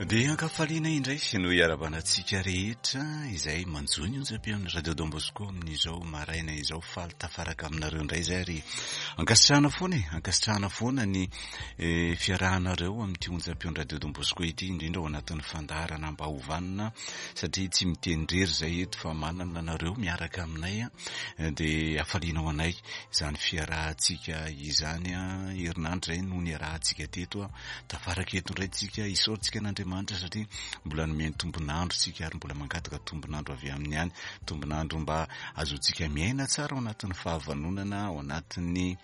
Dia ankafaliana indray no hiarabana antsika rehetra izay manjohy ny onjam-peon'ny Radio Don Bosco amin'izao maraina izao. Faly tafaraka aminareo indray izay ary ankasitrahana foana e, ankasitrahana foana ny eh, fiarahanareo amin'ity onjam-peon'ny Radio Don Bosco ity, indrindra ao anatin'ny fandaharana mba ho vanona, satria tsy miteny irery izay eto fa manana anareo miaraka aminay, dia hafaliana ho anay izany fiarahantsika izany. Herinandro izay no niarahantsika teto. Tafaraka eto indray tsika, isaorantsika an'Andriamanitra satria mbola nomeny tombon'andro tsika ary mbola mangataka tombon'andro avy aminy ihany, tombon'andro mba azontsika miaina tsara ao anatin'ny fahavanonana, ao anatin'ny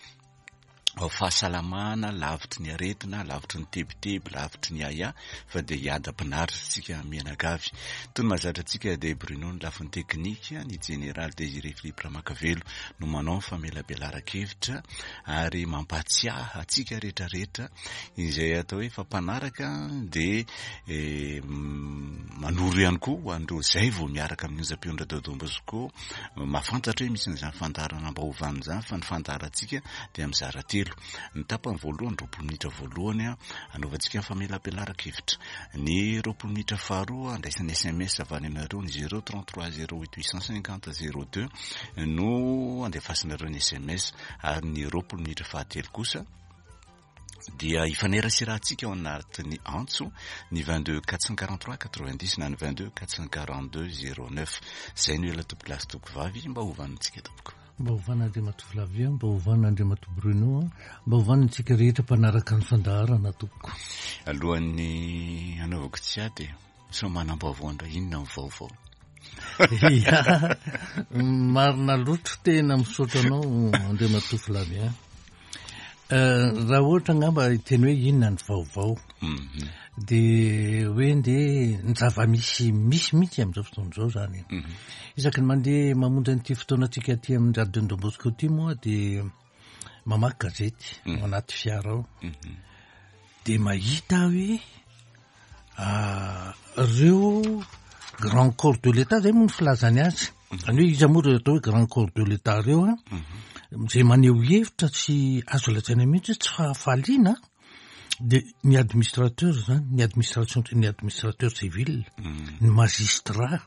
fahasalamana, lavitry ny aretina, lavitry ny tebiteby, lavitry ny ahiahy, fa dia hiadam-pinaritra tsika mianakavy. Toy ny mahazatra antsika dia Bruno ny lafiny teknika, ny jeneraly Désiré Philippe Ramakavelo no manao ny famelabelaran-kevitra ary mampahatsiahy antsika rehetrarehetra izay atao hoe efa mpanaraka dia eh, manoro ihany koa ho an'ireo izay vao miaraka amin'ny onjam-peon'ny Radio Don Bosco mahafantatra hoe misy an'izany fandaharana mba hovanina izany fa ny fandaharantsika dia mizara telo. Ny tapany voalohany, 20 minitra voalohany anaovantsika ny famelabelaran-kevitra. Ny 20 minitra faharoa andraisana SMS avy any aminareo ny 033 08 850 02 no andefasanareo ny SMS ary ny 20 minitra fahatelo kosa dia hifaneraserahantsika ao anatin'ny antso ny 22 443 90 na ny 22 442 09. Izay no ela tompoko lahy sy tompoko vavy mba hovanintsika tompoko. Mba hovana Andriamatoa Flavien, mba hovana Andriamatoa Bruno, mba hovana antsika rehetra mpanaraka ny fandaharana tompoko. Alohan'ny hanaovako tsy ady, sao manam-baovao indray, inona ny vaovao? Ya, marina loatra, tena misaotra anao Andriamatoa Flavien. Eh, raha ohatra angamba hiteny hoe inona ny vaovao, mhm. dia hoe ndeha ny zava-misy misy mihitsy amin'izao fotoana izao zany. Mhm. Isaky ny mandeha mamonjy an'ity fotoanantsika aty amin'ny Radio Don Bosco ity moa dia mamaky gazety mhm. ao anaty fiara ao. Dia mahita hoe ah, ireo grand corps de l'État zay moa ny filazany azy. Zany hoe iza moa ireo atao hoe grand corps de l'État ireo an? Izay maneho hevitra tsy azo lazaina mihitsy hoe tsy fahafaliana dia ny administrateur zany, ny administration, ny administrateur civil, ny magistrat,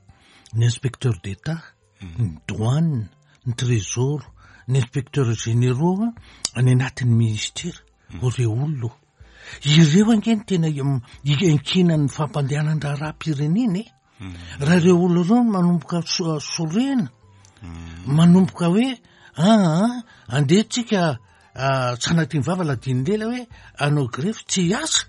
ny inspecteur d'État, ny douane, ny trésor, ny inspecteur généraux any anatin'ny ministera, ireo olona. Ireo ange no tena iankinan'ny fampandehanan-draharaham-pirenena e. Raha ireo olona ireo no manomboka sorena, manomboka hoe aa andeha tsika tsy anatin'ny vava ladin'ny lela hoe hanao grefy tsy hiasa,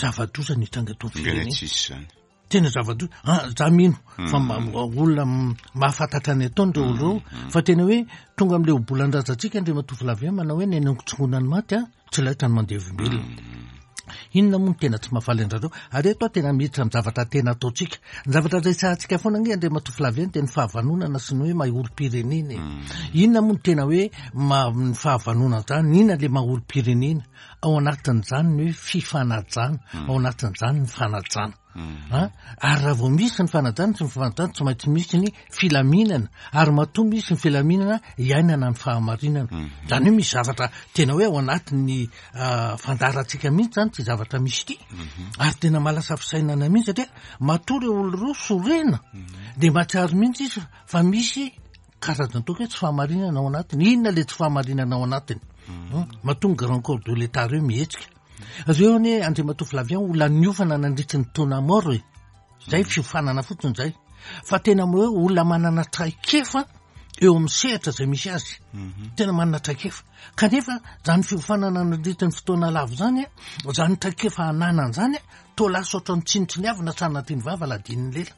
zava-doza ny hitranga eto amin'ny firenena. Tsisy izany. Tena zava-doza. Ah, za mino fa olona mahafantatra ny ataony ireo olona ireo, fa tena hoe tonga amin'ilay obolan-drazantsika Andriamatoa Flavien manao hoe ny anongotsongoana ny maty an, tsy laitra ny mandevimbelona. Inona moa no tena tsy mahafaly an-dRareo? Ary eto aho tena miditra amin'ny zavatra tena ataontsika. Ny zavatra resahantsika foana ange Andriamatoa Flavien dia ny fahavanonana sy ny hoe maha olom-pirenena e. Inona moa no tena hoe maha ny fahavanonana izany? Inona ilay maha olom-pirenena? Ao anatin'izany ny hoe fifanajana, ao anatin'izany ny fanajana. An? Ary raha vao misy ny fanajana sy ny fifanajana, tsy maintsy misy ny filaminana. Ary matoa misy ny filaminana, iainana ny fahamarinana. Izany hoe misy zavatra tena hoe ao anatin'ny fandaharantsika mihitsy izany ity zavatra misy ity. Ary tena mahalasa fisainana mihitsy satria matoa ireo olona ireo sorena, dia mahatsiaro mihitsy izy fa misy karazana toaka hoe tsy fahamarinana ao anatiny. Inona ilay tsy fahamarinana ao anatiny? Matoa ny grand corps de l'État ireo mihetsika. Reo anie Andriamatoa Flavien olona niofana nandritry ny taona maro e. Zay fiofanana fotsiny zay. Fa tena hoe olona manana traikefa eo amin'ny sehatra zay misy azy. Tena manana traikefa. Kanefa zany fiofanana nandritry ny fotoana lava zany, zany traikefa ananany zany, toa lasa ohatran'ny tsinontsiniavina sanatria ny vava ladin'ny lela.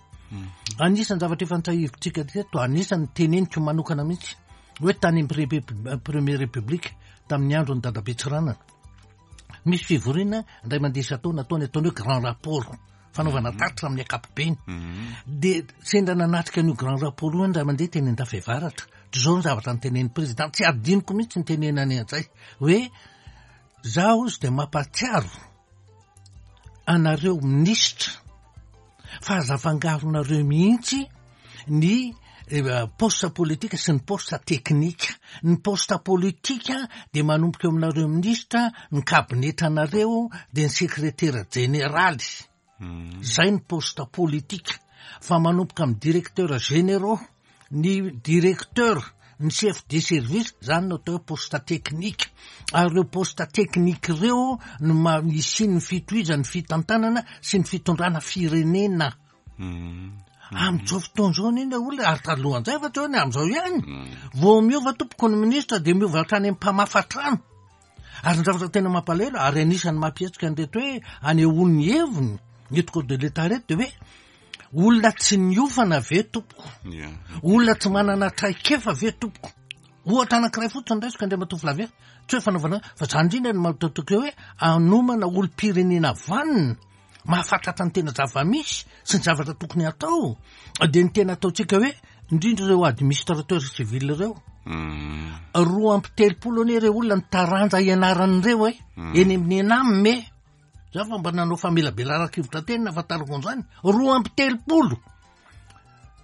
Anisan'ny zavatra efa nitsahivitsika teto, anisan'ny teneniko manokana mihitsy hoe tany amin'ny Première République tamin'ny andron'i Dadabe Tsiranana. Misy fivoriana indray mandeha isan-taona ataony ataony hoe grand rapport, fanaovana mhm. tatitra amin'ny ankapobeny. Mhm. Dia sendra nanatrika an'io grand rapport io indray mandeha teny Andafiavaratra. Dia izao ny zavatra notenenin'ny président, tsy adinoko mihitsy ny tenenany an'izay hoe zaho izy dia mampahatsiaro anareo minisitra fa aza afangaronareo mihitsy ny eh, poste politika sy ny poste teknika. Ny poste politika dia manomboka eo aminareo minisitra, ny kabinetranareo, dia ny sekretera jeneraly. Zay ny poste politique fa manomboka amin'ny directeur généraux, ny directeur, ny chef de service, zany no atao hoe poste technique. Ary ireo poste technique ireo no ma- hisian'ny fitohizan'ny fitantanana sy ny fitondrana firenena. Amin'izao fotoana izao anie ilay olona, ary talohan'izay fa tsy hoe ny amin'izao ihany. Vao miova tompoko ny ministra dia miova hatrany amin'ny mpamafa trano. Ary ny zavatra tena mampalahelo, ary anisan'ny mampihetsika an'ireto hoe anehoany ny heviny, eto corps de l'Etat ireto, dia hoe olona tsy niofana ve tompoko? Olona tsy manana traikefa ve tompoko? Ohatra anankiray fotsiny raisiko Andriamatoa Flavien, tsy hoe fanaovana, fa izany indrindra no mahatokotoko hoe hanomana olom-pirenena vanona, mahafatratra ny tena zava-misy sy ny zavatra tokony hatao, dia ny tena ataontsika hoe indrindra ireo administrateur civil ireo. 32 anie ireo olona ny taranja ianaran'ireo e, eny amin'ny ENAM e. Za fa mba nanao famelabelaran-kevitra teny nahafantarako an'izany. 32.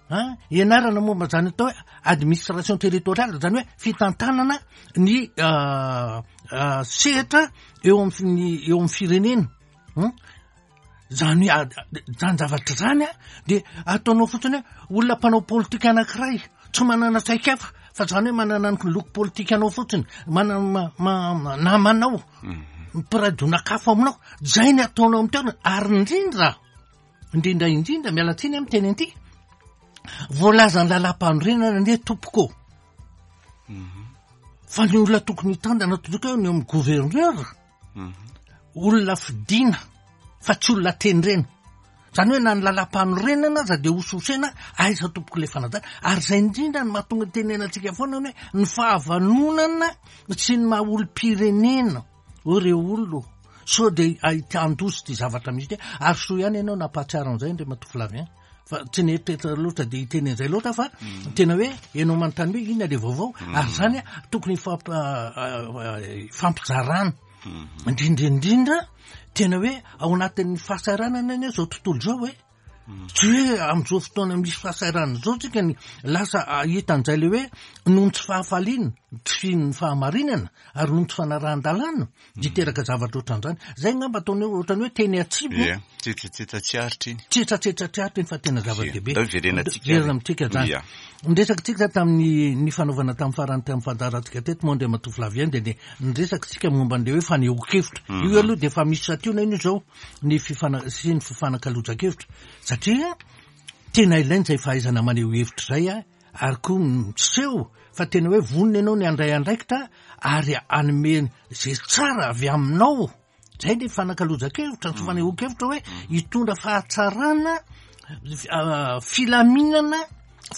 An, ianarana momba izany atao hoe administration territoriale, izany hoe fitantanana ny sehatra eo amin'ny eo amin'ny firenena. Hum? Zany hoe zany zavatra zany a, de ataonao fotsiny hoe olona mpanao politika anankiray tsy manana traikefa fa zany hoe manana ny loko politikanao fotsiny, manana namanao, mpiray donak'afo aminao, zay ny ataonao amin'ny toerana, ary indrindra, indrindra indrindra, miala tsiny aho miteny an'ity, voalazan'ny lalàmpanorenana anie tompoko ô, fa ny olona tokony hitandana tompoko eo ny eo amin'ny gouverneur, Olona fidina fa tsy olona tendrena. Zany hoe na ny lalam-panorenana aza dia hosihosena aiza tompoko ilay fanajana. Ary izay indrindra no mahatonga tenenantsika foana hoe ny fahavanonana sy ny maha olom-pirenena. Hoy ireo olona ô, sao dia ahitan-doza ity zavatra misy ity. Ary soa ihany ianao nampahatsiaro an'izay Andriamatoa Flavien. Fa tsy nieritreritra loatra dia hiteny an'izay loatra fa mm. tena hoe ianao manontany hoe inona le vaovao mm. ary zany tokony hifampijarana mm-hmm. indrindra indrindra tena hoe ao anatin'ny fahasahiranana anie zao tontolo zao hoe mm. tsy hoe am'izao fotoana misy fahasahiranana zao tsika ny lasa ahita an'izay le hoe noho ny tsy fahafaliana tsy fino ny fahamarinana ary noho ny tsy fanarahan-dalàna Niteraka zavatra ohatran'izany. Zay angamba ataony hoe ohatran'ny hoe teny atsimo. Ie, tsetsatsetsa tsy aritra iny. Tsetsatsetsa tsy aritra iny fa tena zava-dehibe. Ndao hiverenantsika. Verina amintsika zany. Ia. Niresaka tsika tamin'ny ny fanaovana tamin'ny farany tamin'ny fandaharantsika teto moa Andriamatoa Flavien dia ny niresaka tsika momba an'ilay hoe fanehoan-kevitra. Mhm. Io aloha dia efa misy santionany io izao ny fifana sy ny fifanakalozan-kevitra satria tena ilaina izay fahaizana maneho hevitra izay a. ary koa miseho fa tena hoe vonona ianao ny handray andraikitra ary hanome izay tsara avy aminao. Zay le fanakalozan-kevitra, ny fanehoan-kevitra hoe hitondra fahatsarana, filaminana,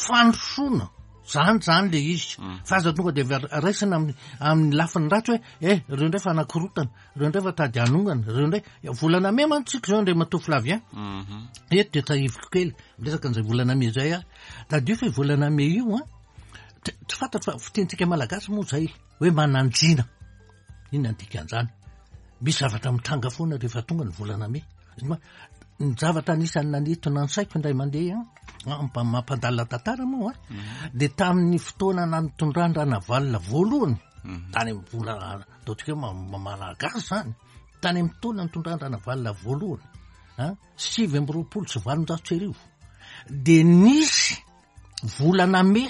fandrosoana. Zany zany le izy. Mm. Fa aza tonga de raisina amin'ny amin'ny lafiny ratsy hoe eh reo ndray fa anakorotana, reo ndray fa tady hanongana, reo ndray volana mey mantsy tsika zao Andriamatoa Flavien. Mhm. Eto de tsahiviko kely miresaka an'izay volana mey zay aho. Tadidio fa io volana mey io an, tsy fantatro fa fitenintsika malagasy moa zay hoe mananjina. Inona ny dikan'izany? Misy zavatra mitranga foana rehefa tonga ny volana mey. Ny zavatra anisan'ny nanintona ny saiko indray mandeha an, mampandalina tantara moa an, mhm. dia tamin'ny fotoana nanitondran-dRanavalona voalohany, mhm. tany amin'ny volana ataontsika hoe malagasy izany, tany amin'ny fotoana nitondran-dRanavalona voalohany, an, 1829, dia nisy volana mey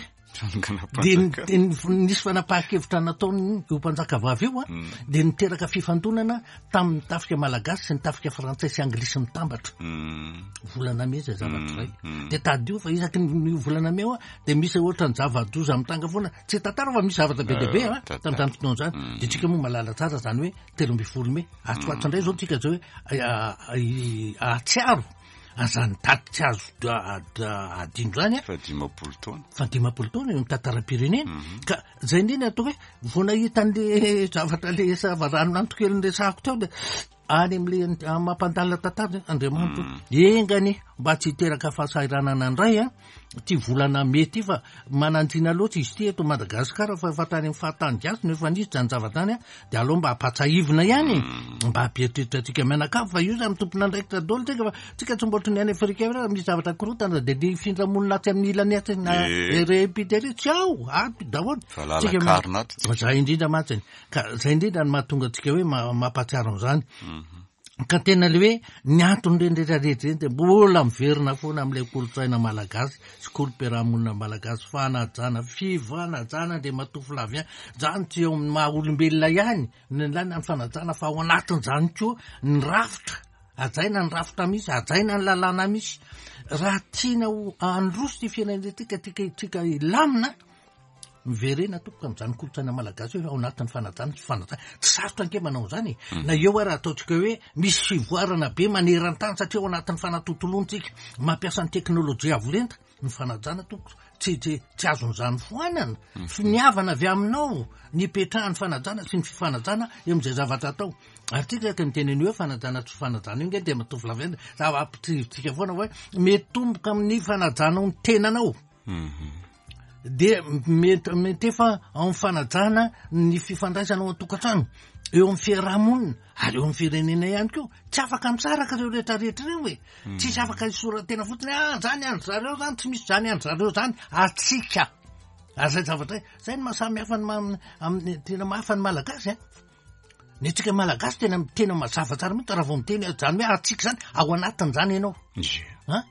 dia nisy fanapahan-kevitra nataony io mpanjaka vavy io a mm. dia niteraka fifandonana tamin'ny tafika malagasy sy ny tafika frantsay sy anglisy mitambatra mm. volana mey zay zavatra zay mm. dia tadidio fa isaky ny volana mey a dia misy ohatra ny zava-doza mitranga foana tsy tantara fa misy zavatra be dia be a tamin'izany fotoana izany dia tsika moa malala tsara zany hoe 13 mey atsy ho atsy indray zao tsika zao hoe ahatsiaro An'izany daty tsy azo adino izany a. Fa 50 taona. Fa 50 taona eo amin'ny tantaram-pirenena. Mhm. Ka zay indrindra atao hoe vao nahita an'le zavatra le savaranonanto kely niresahako teo dia any amin'le mampandalina tantara Andriamanitra. Mm. Enga anie mba tsy hiteraka fahasahiranana indray a. Ity volana mey ity fa mananjina loatra izy ity eto Madagasikara fa efa tany amin'ny fahatany gasy no efa nisy izany zavatra izany dia aleo mba ampatsahivina ihany e mm. mba hampieritreritra antsika mianakavy fa io zany tompon'andraikitra daholo tsika fa tsika tsy mba ohatran'ny any Afrika raha misy zavatra korotana dia ny findra-monina atsy amin'ny ilany atsy na erepite ery tsy ao ato daholo tsika zay indrindra mantsy ka zay indrindra no mahatonga antsika hoe mampahatsiaro an'izany mhm. Ka tena le hoe ny anton'ireny rehetra rehetra ireny dia mbola miverina foana amin'ilay kolontsaina malagasy sy kolom-piarahamonina malagasy, fanajana, fifanajana Andriamatoa Flavien, izany tsy eo amin'ny maha olombelona ihany no ilaina ny fanajana fa ao anatin'izany koa ny rafitra, hajaina ny rafitra misy, hajaina ny lalàna misy. Raha tiana ho handroso ity firenena ity ka tiaka hilamina, Miverena tompoko amin'izany kolontsaina malagasy hoe ao anatin'ny fanajana sy fanajana. Tsy sarotra ange manao an'izany e. Na eo ara ataontsika hoe misy fivoarana be maneran-tany satria ao anatin'ny fanatontoloana tsika mampiasa ny teknolojia avo lenta, ny fanajana tompoko tsy tsy tsy azon'izany foanana. Finiavana avy aminao ny hipetrahan'ny fanajana sy ny fifanajana eo amin'izay zavatra atao. Ary tsika ka miteny an'io hoe fanajana tsy fanajana io nge dia mitovy lavenona. Zava-ampitrivitsika foana hoe mitomboka amin'ny fanajanao ny tenanao. Dia mety mitefa ao amin'ny fanajana ny fifandraisana ao an-tokantrano, eo amin'ny fiaraha-monina ary eo amin'ny firenena ihany koa. Tsy afaka misaraka ireo rehetra rehetra ireo e. Tsisy afaka hisoratena fotsiny hoe ah zany an-dry zareo zany, tsy misy zany an-dry zareo zany, atsika. Ary zay zavatra zay, zay no maha samy hafa ny ma-, amin'ny tena maha hafa ny Malagasy an. Ny antsika Malagasy tena tena mazava tsara mihitsy raha vao miteny zany hoe atsika zany, ao anatin'izany ianao. An?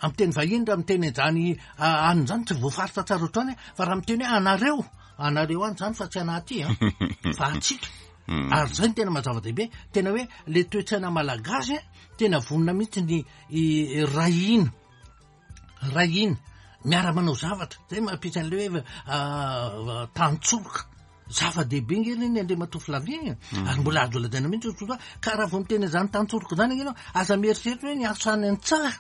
Amin'ny teny vahiny raha miteny an'izany anona izany tsy voafaritra tsara ohatr'izany fa raha miteny hoe anareo, anareo any izany fa tsy anah aty an, fa antsika. Ary izay no tena maha zava-dehibe, tena hoe le toe-tsaina malagasy an, tena vonona mihitsy ny hiray hina, hiray hina, miara-manao zavatra, izay mampisy an'ilay hoe tantsoroka. Zava-dehibe nge ireny Andriamatoa Flavien e! Ary mbola azo lazaina mihitsy hoe tsotra, ka raha vao miteny an'izany tantsoroka izany ange ianao, aza mieritreritra hoe ny asa any an-tsaha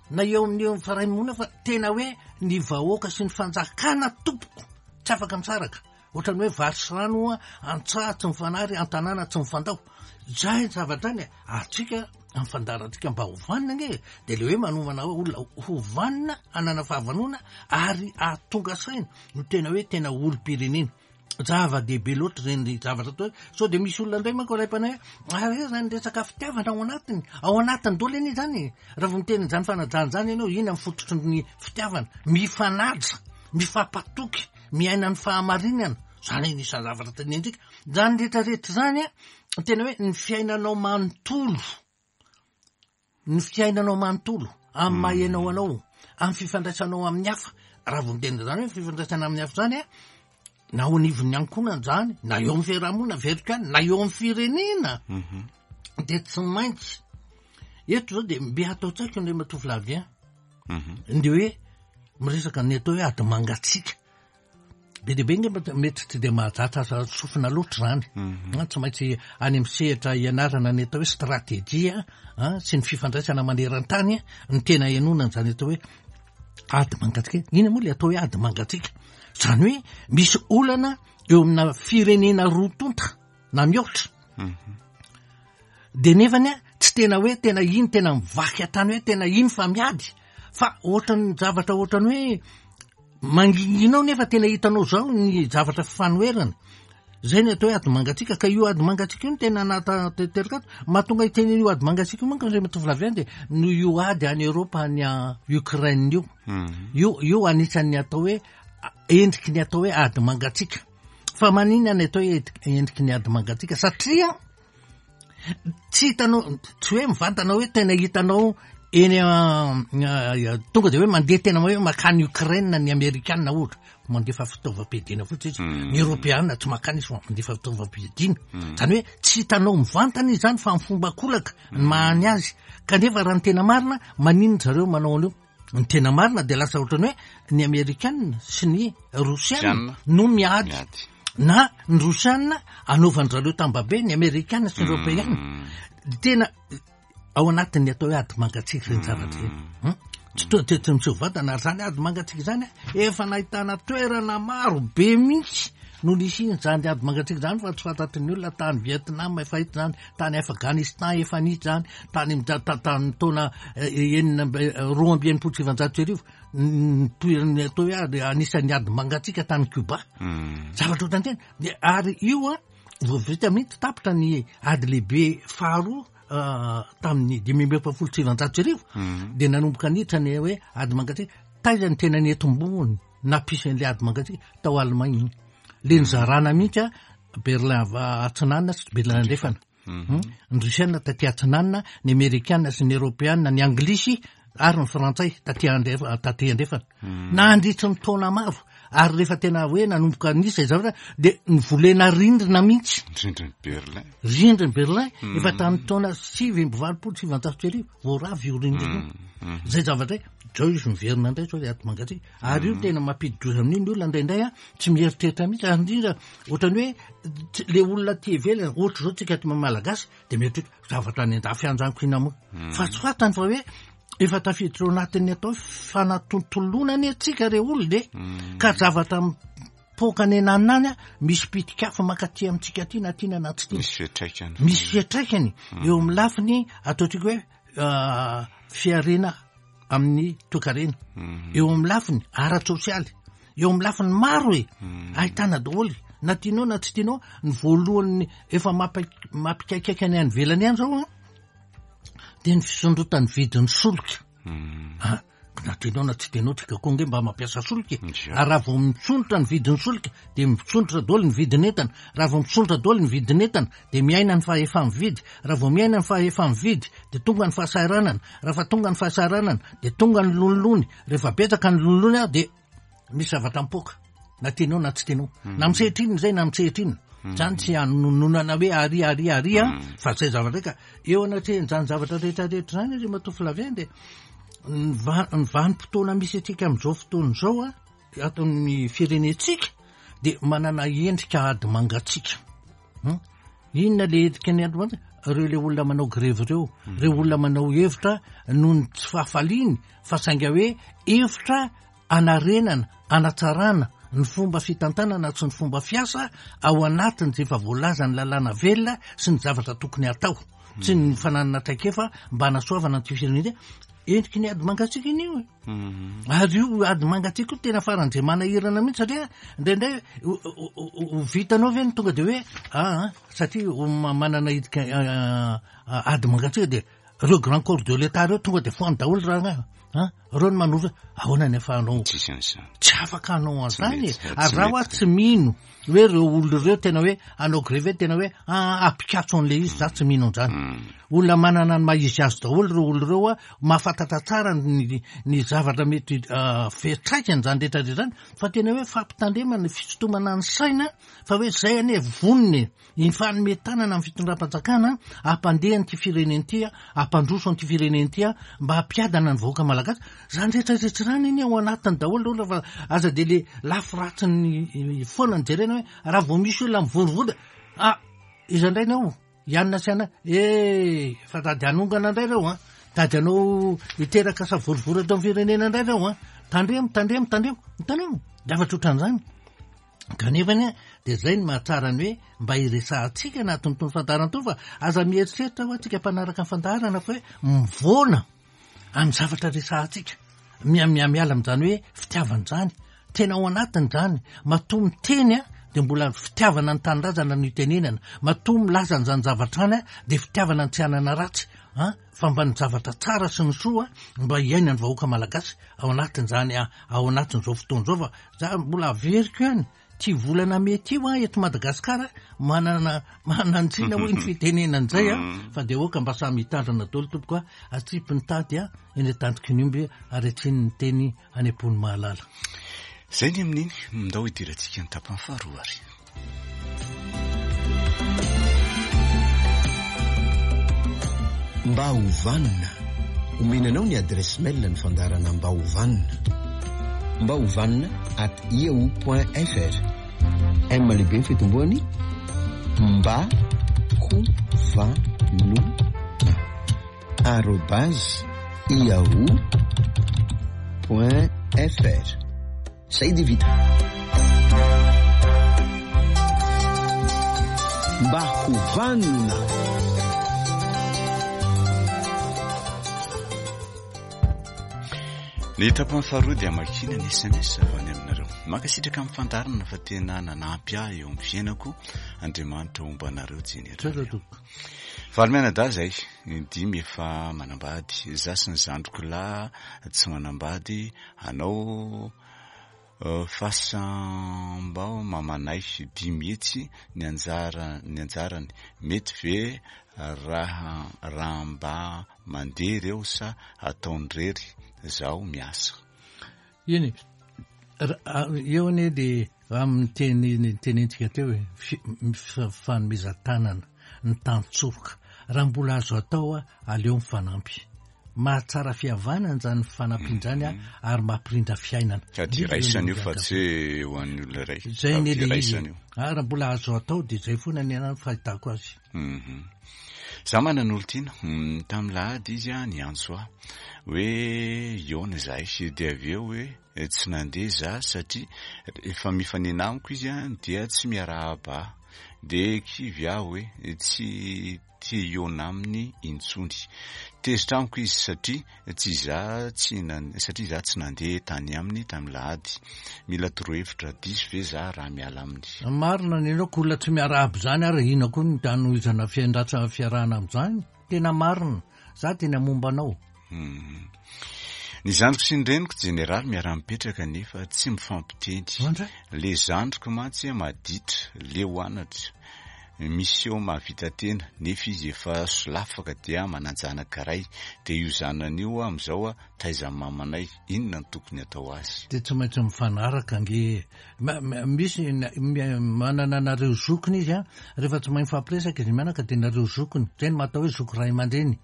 na eo amin'ny eo amin'ny faraimoana fa tena hoe ny vahoaka sy ny fanjakana tompoko tsy afaka misaraka. Ohatran'ny hoe vary sy rano hoa an-tsaha tsy mifanary, an-tanàna tsy mifandao. Izay ny zavatra any e! Ary tsika amin'ny fandaharantsika mba ho vanona ange e! Dia ilay hoe manomana olona ho vanona, hanana fahavanona ary hahatonga saina no tena hoe tena olom-pirenena. Zava-dehibe loatra ireny zavatra atao hoe sao dia misy olona indray manko alaim-panahy hoe ary aiza ny resaka fitiavana ao anatiny? Ao anatiny daholo anie izany e! Raha vao miteny an'izany fanajana izany ianao, inona ny fototry ny fitiavana? Mifanaja, mifampatoky, miaina ny fahamarinana, izany anisan'ny zavatra tenenintsika. Izany rehetra rehetra izany an, tena hoe ny fiainanao manontolo. Ny fiainanao manontolo, amin'ny maha ianao anao, amin'ny fifandraisanao amin'ny hafa, raha vao miteny an'izany hoe fifandraisana amin'ny hafa izany an, na ao anivon'ny ankohonana izany, na eo amin'ny fiarahamonina averiko ihany, na eo amin'ny firenena, dia tsy maintsy, eto izao dia mbe atao an-tsaiko Andriamatoa Flavien, ny hoe miresaka ny atao hoe ady mangatsiaka. Be dia be angamba mety tsy dia mahazatra aza sofina loatra izany. Mhm. Tsy maintsy any amin'ny sehatra ianarana ny atao hoe stratégie sy ny fifandraisana maneran-tany ny tena henoana an'izany atao hoe ady mangatsiaka. Inona moa ilay atao hoe ady mangatsiaka? Izany hoe misy olana eo amina firenena roa tonta na mihoatra. Mhm. Dia nefany tsy tena hoe tena iny tena mivaky hatrany hoe tena iny fa miady fa ohatran'ny zavatra ohatran'ny hoe Mangingina ao nefa tena hitanao zao ny zavatra fifanoherana. Zay ny atao hoe ady mangatsiaka ka io ady mangatsiaka io no tena nahatanteraka ato. Mahatonga hiteny an'io ady mangatsiaka io manko Andriamatoa Flavien dia noho io ady any Eoropa any Ukraine io. Io io anisan'ny atao hoe endriky ny atao hoe ady mangatsiaka. Fa maninona ny atao hoe endriky ny ady mangatsiaka? Satria Tsy hitanao, tsy hoe mivantana hoe tena hitanao eny tonga de hoe mandeha tena hoe makany Ukraine ny Amerikana ohatra, mandefa fitaovam-piadiana fotsiny izy. Ny Eoropeana tsy makany izy fa mandefa fitaovam-piadiana. Zany hoe tsy hitanao mivantana izy zany fa amin'ny fomba ankolaka ny mahany azy. Kanefa raha ny tena marina, maninona zareo manao an'io? Ny tena marina dia lasa ohatran'ny hoe ny Amerikana sy ny Rosiana no miady. Na ny Rosiana anaovan-dry zareo tambabe ny Amerikana sy ny Eoropeana. Tena ao anatin'ny atao hoe ady mangatsiaka ireny zavatra ireny. Tsy to- tsy tsy miseho vatana ary izany ady mangatsiaka izany efa nahitana toerana maro be mihitsy no nisian'izany ady mangatsiaka izany fa tsy fantatry ny olona tany Vietnam efa hita izany, tany Afghanistan efa nisy izany, tany amin'ny tamin'ny taona 1962 nitoeran'ny atao hoe ady anisan'ny ady mangatsiaka tany Cuba. Zavatra ohatran'izany. Dia ary io an, vao vita mihitsy tapitra ny ady lehibe faharoa tamin'ny 1945 dia nanomboka niditra ny hoe ady mangatsiaka. Taiza ny tena niantombohany nampisy an'ilay ady mangatsiaka? Tao Allemagne. Le nizarana mihitsy an, Berlin atsinanana sy Berlin andrefana. Ny Rosiana taty atsinanana, ny Amerikana sy ny Eoropeana, ny Anglisy ary ny Frantsay taty andrefa, taty andrefana. Nandritry ny taona maro, ary rehefa tena hoe nanomboka nisy izay zavatra dia nivolena rindrina mihitsy. Rindrin'i Berlin. Rindrin'i Berlin, efa tamin'ny taona 1989 vao rava io rindrina io. Izay zavatra izay, zao izy miverina indray zao ilay ady mangatsiaka. Ary io tena mampidi-doza amin'io ny olona indraindray an, tsy mieritreritra mihitsy, ary indrindra ohatran'ny hoe le olona aty ivelany, ohatra zao tsika aty Malagasy dia mieritreritra zavatra any an-dafy any zany ko inona moa. Fa tsy fantany fa hoe efa tafiditra ao anatin'ny atao hoe fanatontoloana anie tsika re olona e. Ka zavatra mipoaka any ananona any an, misy pitik'afo mankaty amintsika aty na tiana na tsy tiana. Misy fiantraikany. Misy fiantraikany eo amin'ny lafiny ataontsika hoe fihariana amin'ny toekarena, eo amin'ny lafiny ara-tsosialy, eo amin'ny lafiny maro e, ahitana daholo, na tianao na tsy tianao, ny voalohany efa mampikaikaika ny any ivelany any zao an, dia ny fisondrotan'ny vidin'ny solika. Ah, na tianao na tsy tianao, tsika koa ange mba mampiasa solika e. Ary raha vao misondrotra ny vidin'ny solika, dia misondrotra daholo ny vidin'entana. Raha vao misondrotra daholo ny vidin'entana, dia miaina ny fahefa-mividy. Raha vao miaina ny fahefa-mividy, dia tonga ny fahasahiranana. Raha fa tonga ny fahasahiranana, dia tonga ny lonilony. Rehefa betsaka ny lonilony, dia misy zavatra mipoaka, na tianao na tsy tianao. Na misehatra inona izay, na misehatra inona. Izany tsy hanononana hoe ary, ary, ary, fa izay zavatra izay ka eo anatrehan'izany zavatra rehetra rehetra izany, Andriamatoa Flavien, dia ny ny vanim-potoana misy antsika amin'izao fotoana izao, ato amin'ny firenentsika, dia manana endrika ady mangatsiaka. Inona le endrika ny ady mangatsiaka? Ireo le olona manao grevy ireo, ireo olona manao hevitra noho ny tsy fahafaliany, fa sainga hoe hevitra hanarenana, hanatsarana ny fomba fitantanana sy ny fomba fiasa ao anatin'izay efa voalazan'ny lalàna velona sy ny zavatra tokony hatao. Tsy ny fananana traikefa mba hanasoavana an'ity firenena ity. Endriky ny ady mangatsiaka iny io e. Ary io ady mangatsiaka io tena faran'izay manahirana mihitsy satria indraindray ho vitanao ve ny tonga dia hoe aa satria manana endrika ady mangatsiaka dia Reo grand corps de l'etat reo tonga de foany daholo raha an, reo no manoro hoe ahoana ny afahanao, Tsisy an'izany. tsy afaka hanao an'izany e, Tsy mety, ary tsy raha hoa mety. tsy mino hoe reo olona reo tena hoe hanao grevy hoe tena hoe ah ampikatso an'le izy, za tsy mino an'izany. Olona manana ny maha izy azy daholo reo olona reo a, mahafantatra tsara ny ny zavatra mety fiantraikany zany rehetra rehetra zany, fa tena hoe fampitandremana, fisintomana ny saina fa hoe zay anie vonona e. Hifanome tanana amin'ny fitondram-panjakana hampandeha an'ity firenena ity, hampandroso an'ity firenena ity mba hampiadana ny vahoaka malagasy. Izany rehetra rehetra izany anie ao anatiny daholo ireo fa aza dia le lafy ratsiny foana no jerena hoe raha vao misy olona mivorivory dia ah iza indray ny ao? I anona sy anona, eh fa tady hanongana indray ireo an, tady hanao hiteraka savorovoro eto amin'ny firenena indray ireo an, tandremo, tandremo, tandremo, hitanao? Zavatra ohatran'izany. Kanefa dia izay no mahatsara ny hoe mba hiresahantsika anatin'itony fandaharana itony fa aza mieritreritra hoa tsika mpanaraka ny fandaharana fa hoe mivoana amin'ny zavatra resahantsika. Miha-miha-miala amin'izany hoe fitiavana izany. Tena ao anatiny izany. Matoa miteny dia mbola fitiavana ny tanindrazana no itenenana. Matoa milaza an'izany zavatra izany dia fitiavana ny tsy hanana ratsy fa mba ny zavatra tsara sy ny soa mba hiainan'ny vahoaka malagasy ao anatin'izany ao anatin'izao fotoana izao fa Za mbola averiko ihany, ty volana mey ty hoa eto Madagasikara manana manantsina hoy ny fitenenana izay a, fa dia aoka mba samy hitandrina daholo tompoko a, atsipy ny tady a, eny an-tandroky ny omby ary atsiny ny teny any am-pon'ny mahalala. Izay ny amin'iny, ndao hidirantsika ny tapany faharoa ary. Mba ho vanona. Omena anao ny adresse mail ny fandaharana Mba ho vanona. Mba ho vanona at yahoo point fr. M lehibe ny fitomboany mba ho vanona arobase yahoo point fr. Zay dia vita. Mba ho vanona. Ny tapany faharoa dia amakiana ny sms avy any aminareo. Mankasitraka amin'ny fandaharana fa tena nanampy ahy eo amin'ny fiainako Andriamanitra homba anareo jeneraly. Valo mianadahy zay, dimy efa manambady, za sy ny zandriko lahy tsy manambady, anao. Fasambao mamanay 500 ny anjara ny anjarany mety ve raha raha mba mandeha reo sa ataony rery zaho miasa. Eny e, eo anie le amin'ny teny nitenentsika teo e, fanomezan-tanana, ny tantsoroka, raha mbola azo atao aleo mifanampy. Mahatsara fihavanana izany fifanampiana izany ary mampirindra fiainana. Sady iraisana io fa tsy hoe ho an'ny olona iray. Izay anie le izy e. Ary raha mbola azo atao dia izay foana ny anahy ny fahitako azy. Za manana olon-tiana, tamin'ny lahady izy niantso ahy hoe hihaona izahay dia avy eo hoe tsy nandeha za satria rehefa mifanena amiko izy dia tsy miarahaba ahy dia kivy aho hoe tsy te hihaona aminy intsony. Tezitra amiko izy satria tsy za tsy satria za tsy nandeha tany aminy tamin'ny lahady. Mila torohevitra, diso ve za raha miala aminy? Marina ny anao, ko olona tsy miarahaba izany ary inona koa no hanohizana fiaindratsana fiarahana amin'izany? Tena marina, za tena momba anao. Ny zandriko sy ny reniko jeneraly miara-mipetraka nefa tsy mifampiteny. Le zandriko mantsy maditra, leo anatra, miseho mahavita tena nefa izy efa solafaka dia manan-janaka iray. Dia io zanany io amin'izao taizan'ny mamanay, inona no tokony atao azy? Dia tsy maintsy mifanaraka ange e. Misy manana anareo zokiny izy an, rehefa tsy mahay mifampiresaka izy mianaka dia nareo zokiny. Izay no mahatao hoe zoky ray aman-dreny.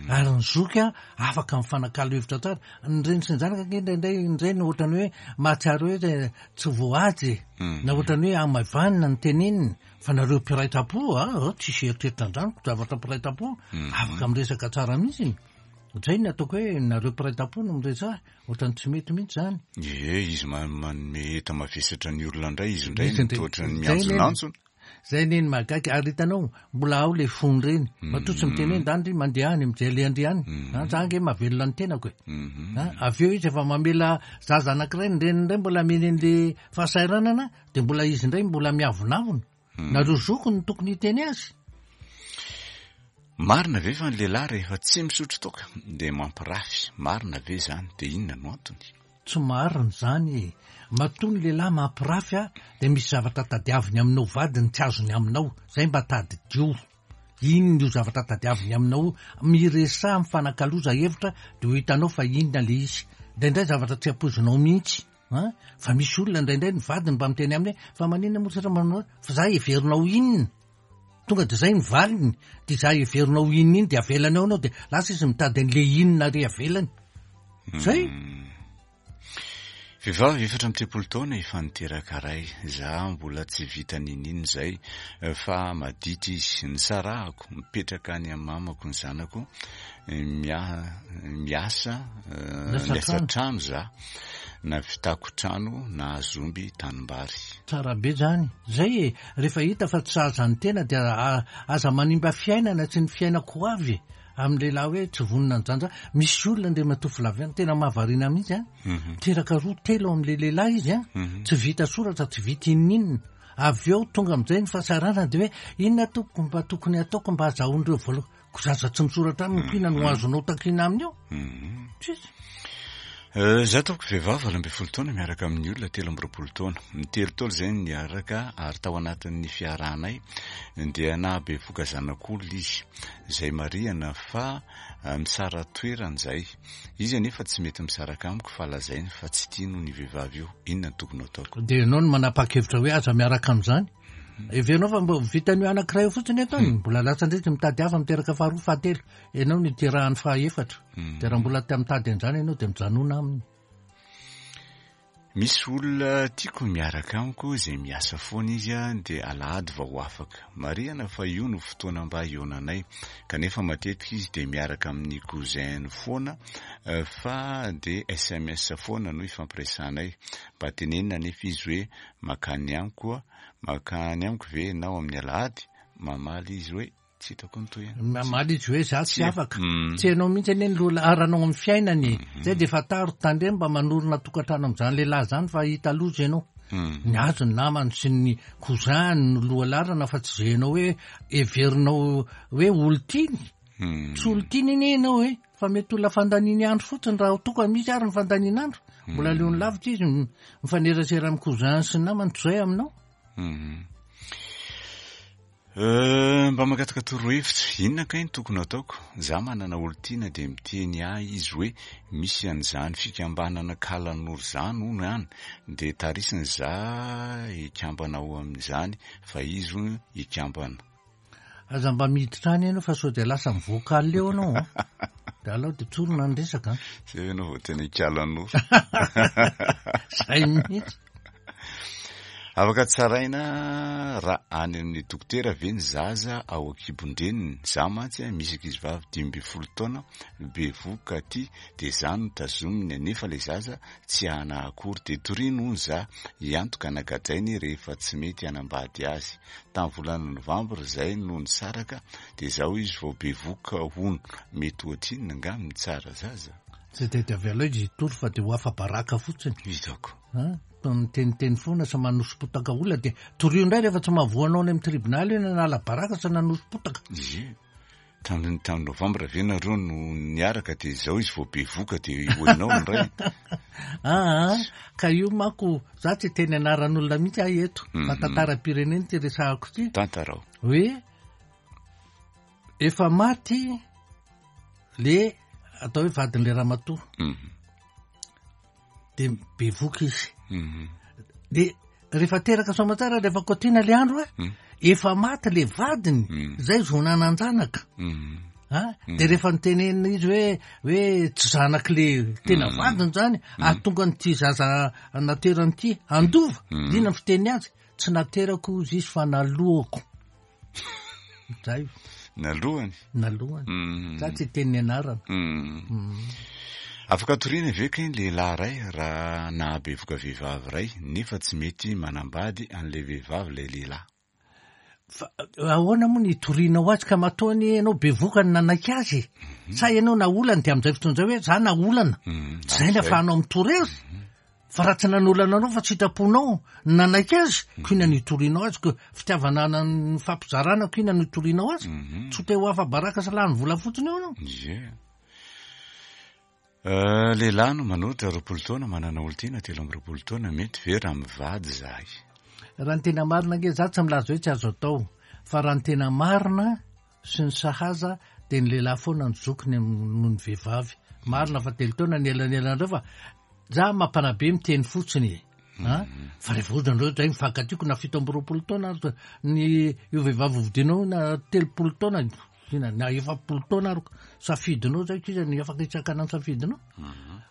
Ary ny zoky an, afaka mifanakalo hevitra tsara. Ny reny sy ny zanaka ange indraindray ny reny ohatrany hoe mahatsiaro hoe tsy voahaja e. Na ohatrany hoe hamaivanina ny teneniny. Fa nareo mpiray tampo a, tsisy eritreritra an'izany, ko zavatra mpiray tampo, afaka miresaka tsara mihitsy. Ohatr'izay ny ataoko hoe nareo mpiray tampo no miresaha, ohatrany tsy mety mihitsy izany. Ie, izy manome enta-mavesatra ny olona indray, izy indray no toa ohatran'ny miantsonantsona. Zay anie ny mahagaga, ary hitanao, mbola ao le fony reny, matoa tsy miteny hoe ndany ry mandeha any, mijery an-dry any, an, za ange mahavelona ny tenako e, an, avy eo izy efa mamela zaza anankiray, ny reniny indray mbola ameny an'le fahasahiranana, dia mbola izy indray mbola miavonavona, nareo zokiny no tokony hiteny azy. Marina ve fa ny lehilahy rehefa tsy misotro toaka dia mampirafy, marina ve izany, dia inona no antony? Tsy marina izany e! Matoa ny lehilahy mampirafy a, dia misy zavatra tadiaviny aminao vadiny tsy azony aminao, zay mba tadidio. Inona io zavatra tadiaviny aminao io? Miresaha mifanakaloza hevitra dia ho hitanao fa inona le izy. Indraindray zavatra tsy ampoizinao mihitsy an! Fa misy olona indraindray ny vadiny mba miteny aminy hoe fa maninona moa tsy manao fa za heverinao inona? Tonga dia zay ny valiny, dia za heverinao inona iny dia avelany ao ianao dia lasa izy mitady an'le inona ary avelany. Zay. Vehivavy 34 taona efa niteraka ray, za mbola tsy vita niniana izay fa maditra izy, nisarahako, mipetraka any amin'ny mamako ny zanako, miasa miasa trano za, navitako trano nahazo omby tanimbary. Tsara be zany, zay e, rehefa hita fa tsy sahaza ny tena dia aza manimba fiainana sy ny fiainako ho avy e. Amin'ny lehilahy hoe tsy vonona ny janja, misy olona Andriamatoa Flavien tena mahavariana mihitsy an, miteraka roa telo amin'ilay lehilahy izy an, tsy vita soratra, tsy vita inon'inona, avy eo tonga amin'izay ny fahasahiranana dia hoe inona tompoko mba tokony hataoko mba hazahoan'ireo vola, ko zaza tsy misoratra aminy ko inona no azonao takiana aminy eo? Tsisy. Za tompoko vehivavy 18 taona miaraka amin'ny olona 23 taona. Ny telo taona izay no niaraka ary tao anatin'ny fiarahanay dia nahabevoka zanak'olona izy. Izay marihana fa misara-toerana izay. Izy anefa tsy mety misaraka amiko fa lazainy fa tsy tiany hono io vehivavy io. Inona no tokony hataoko? Dia ianao no manapa-kevitra hoe aza miaraka amin'izany. Heverinao fa mba vitan'io anankiray io fotsiny ataony? Mbola lasa indray izy mitady hafa miteraka faharoa, fahatelo. Ianao no iterahany fahaefatra. Dia raha mbola te mitady an'izany ianao dia mijanona aminy. Misy olona tiako miaraka amiko izay miasa foana izy dia alahady vao afaka. Marihana fa io no fotoana mba hihaonanay kanefa matetika izy dia miaraka amin'ny cousin-ny foana fa dia sms foana no ifampiresahanay. Mba tenenina anefa izy hoe makany amiko makany amiko ve ianao amin'ny alahady? Mamaly izy hoe Tsy hitako ny tohiny. Mamaly izy hoe za tsy afaka. Tsy ianao mihitsy anie ny loha laharanao amin'ny fiainany e. Zay dia fantaro, tandremo mba manorina tokantrano amin'izany lehilahy izany fa hahita loza ianao. Ny azy ny namany sy ny cousin-ny no loha laharana fa tsy izay ianao hoe heverinao hoe olon-tiany. Tsy olon-tiany anie ianao e. Fa mety olona fandaniany andro fotsiny raha toa ka misy ary ny fandaniana andro. Mbola aleony lavitra izy mifanerasera amin'ny cousin sy ny namany toy izay aminao. Mba mangataka torohevitra, inona kay no tokony ataoko? Za manana olon-tiana dia miteny ahy izy hoe misy an'izany fikambanana kalanoro zany hono any dia tarisiny za hikambana ao amin'izany fa izy hono hikambana. Aza mba miditra any ianao fa sao dia lasa mi-vocal eo ianao an. Dia alao dia tsorina ny resaka an. Zay ianao vao tena hikalanoro. Zay mihitsy. Afaka tsaraina raha any amin'ny dokotera ve ny zaza ao an-kibon-dreniny? Za mantsy misy ankizivavy 15 taona bevohoka aty dia za no tazominy nefa ilay zaza tsy ana akory dia toriany hono za hiantoka na gadrainy rehefa tsy mety hanambady azy. Tamin'ny volana novambra izay no nisaraka dia izao izy vao bevohoka hono. Mety ohatrinona angaha mitsara zaza? Tsy dia avy aloha izy hitory fa dia ho afa-baraka fotsiny. Hitako. An? Toa miteniteny foana sy manoso-potaka olona dia torio indray rehefa tsy mahavoa anao any amin'ny tribonaly io nanala baraka sy nanoso-potaka. Ie. Tamin'ny tamin'ny novambra ve nareo no niaraka dia izao izy vao bevoka dia ho enao indray. Aa ka io manko za tsy hiteny anaran'olona mihitsy aho eto fa tantaram-pirenena ity resahako ity. Tantarao. Hoe efa maty le atao hoe vadin'le ramatoa. De bevoka izy. De rehefa teraka soamantsara rehefa kotiana le andro a, efa maty le vadiny, zay vao nanan-janaka. A, de rehefa nitenenina izy hoe hoe tsy zanaky le tena vadiny zany, ahatonga an'ity zaza naterany ity handova, inona ny fiteniny azy? Tsy naterako hozy izy fa naloako. Zay. Nalohany? Nalohany. Za tsy hiteny ny anarana. Afaka toriana ve kay ny lehilahy iray raha nahabevoka vehivavy iray nefa tsy mety manambady an'ilay vehivavy ilay lehilahy? Fa ahoana moa ny hitorianao azy ka matoa anie ianao bevoka no nanaiky azy e? Sa ianao naolany dia amin'izay fotoana izay hoe za naolana. Zay ny ahafahanao mitory azy. Fa raha tsy nanolana anao fa tsy sitraponao ny nanaiky azy, ko inona no hitorianao azy, ko fitiavana nifampizarana ko inona no hitorianao azy? Tsy ho te ho afa-baraka sy lany vola fotsiny eo ianao. Ie. Lehilahy no manolotra 20 taona, manana olon-tiana 23 taona, mety ve raha mivady izahay? Raha ny tena marina ange, za tsy milaza hoe tsy azo atao, fa raha ny tena marina, sy ny sahaza dia ny lehilahy foana no zokiny noho ny vehivavy. Marina fa telo taona ny elanelanareo fa za mampanabe miteny fotsiny e. A? Fa rehefa ohatra nareo zay mifankatiako na 27 taona ary ny io vehivavy hovidianao na 30 taona na na 40 taona ary safidinao zay k'iza ny afaka hitsakana ny safidinao.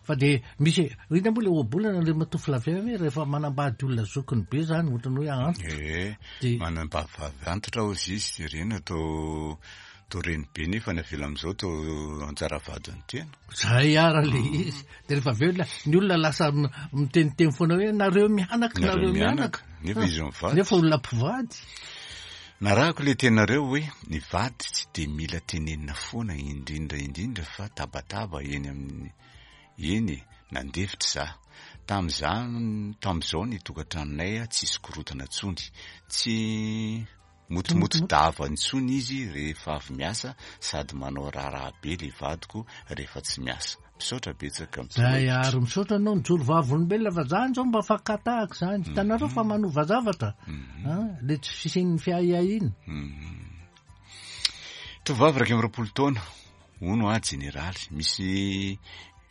Fa dia misy inona moa le ohabolana Andriamatoa Flavien hoe rehefa manambady olona zokiny be zany ohatran'ny hoe antitra. Ee, Dia manambady vavy antitra hozy izy dia ireny atao atao renibe nefa ny avela amin'izao atao anjara vadin'ny tena. Zay ara le izy. Dia rehefa avy eo ny olona lasa miteniteny foana hoe nareo mianaka, Nareo nareo mianaka. mianaka. Nefa izy mivady. Nefa olona mpivady. Narahako le teninareo hoe ny vady tsy dia mila tenenina foana indrindra indrindra fa tabataba eny amin'ny eny e, nandefitra za. Tamin'izany tamin'izao ny tokantranonay tsisy korontana intsony. Tsy motomoto dava intsony izy rehefa avy miasa sady manao raharaha be le vadiko rehefa tsy miasa. Misaotra betsaka Zay mitorohevitra. ary misaotra anao nijoro vavolombelona fa zany zao mba fakatahaka zany. Hitanareo fa manova zavatra. Ah, le tsy fisian'ny fiahiahiana. Tovovavy 21 taona, hono aho jeneraly, misy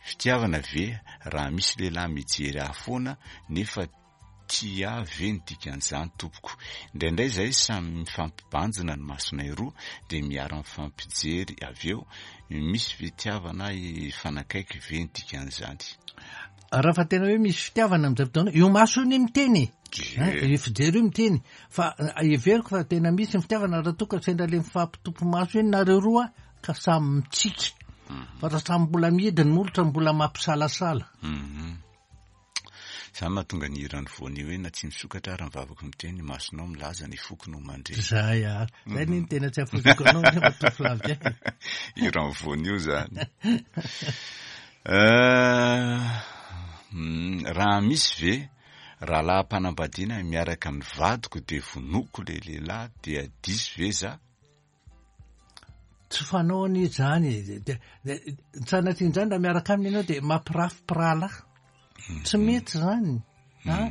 fitiavana ve raha misy lehilahy mijery ahy foana nefa tia ahy ve ny dikan'izany tompoko? Indraindray izahay samy mifampibanjina ny masonay roa dia miara-mifampijery avy eo, misy fitiavana hifanakaiky ve ny dikan'izany? Raha fa tena hoe misy fitiavana amin'izay fotoana, io maso io anie miteny e. Ie. Hein, io fijery io miteny. Fa heveriko fa tena misy ny fitiavana raha toa ka sendra le mifampitopy maso iny nareo roa ka samy mitsiky. Fa raha samy mbola mihidy ny molotra mbola mampisalasala. Izany mahatonga ny hiran'ny voanio hoe na tsy misokatra ary ny vavako miteny, ny masonao milaza, ny foko no mandre. Zay ary. Zay anie no tena tsy afoiziko anao Andriamatoa Flavien. Hiran'ny voanio izany. Raha misy ve rahalahy-panambadiana miaraka amin'ny vadiko dia vonoiko ilay lehilahy dia diso ve za? Tsy fanao anie izany e. Dia sanatria izany raha miaraka aminy ianao dia mampirafy mpirahalahy. Tsy mety izany. A?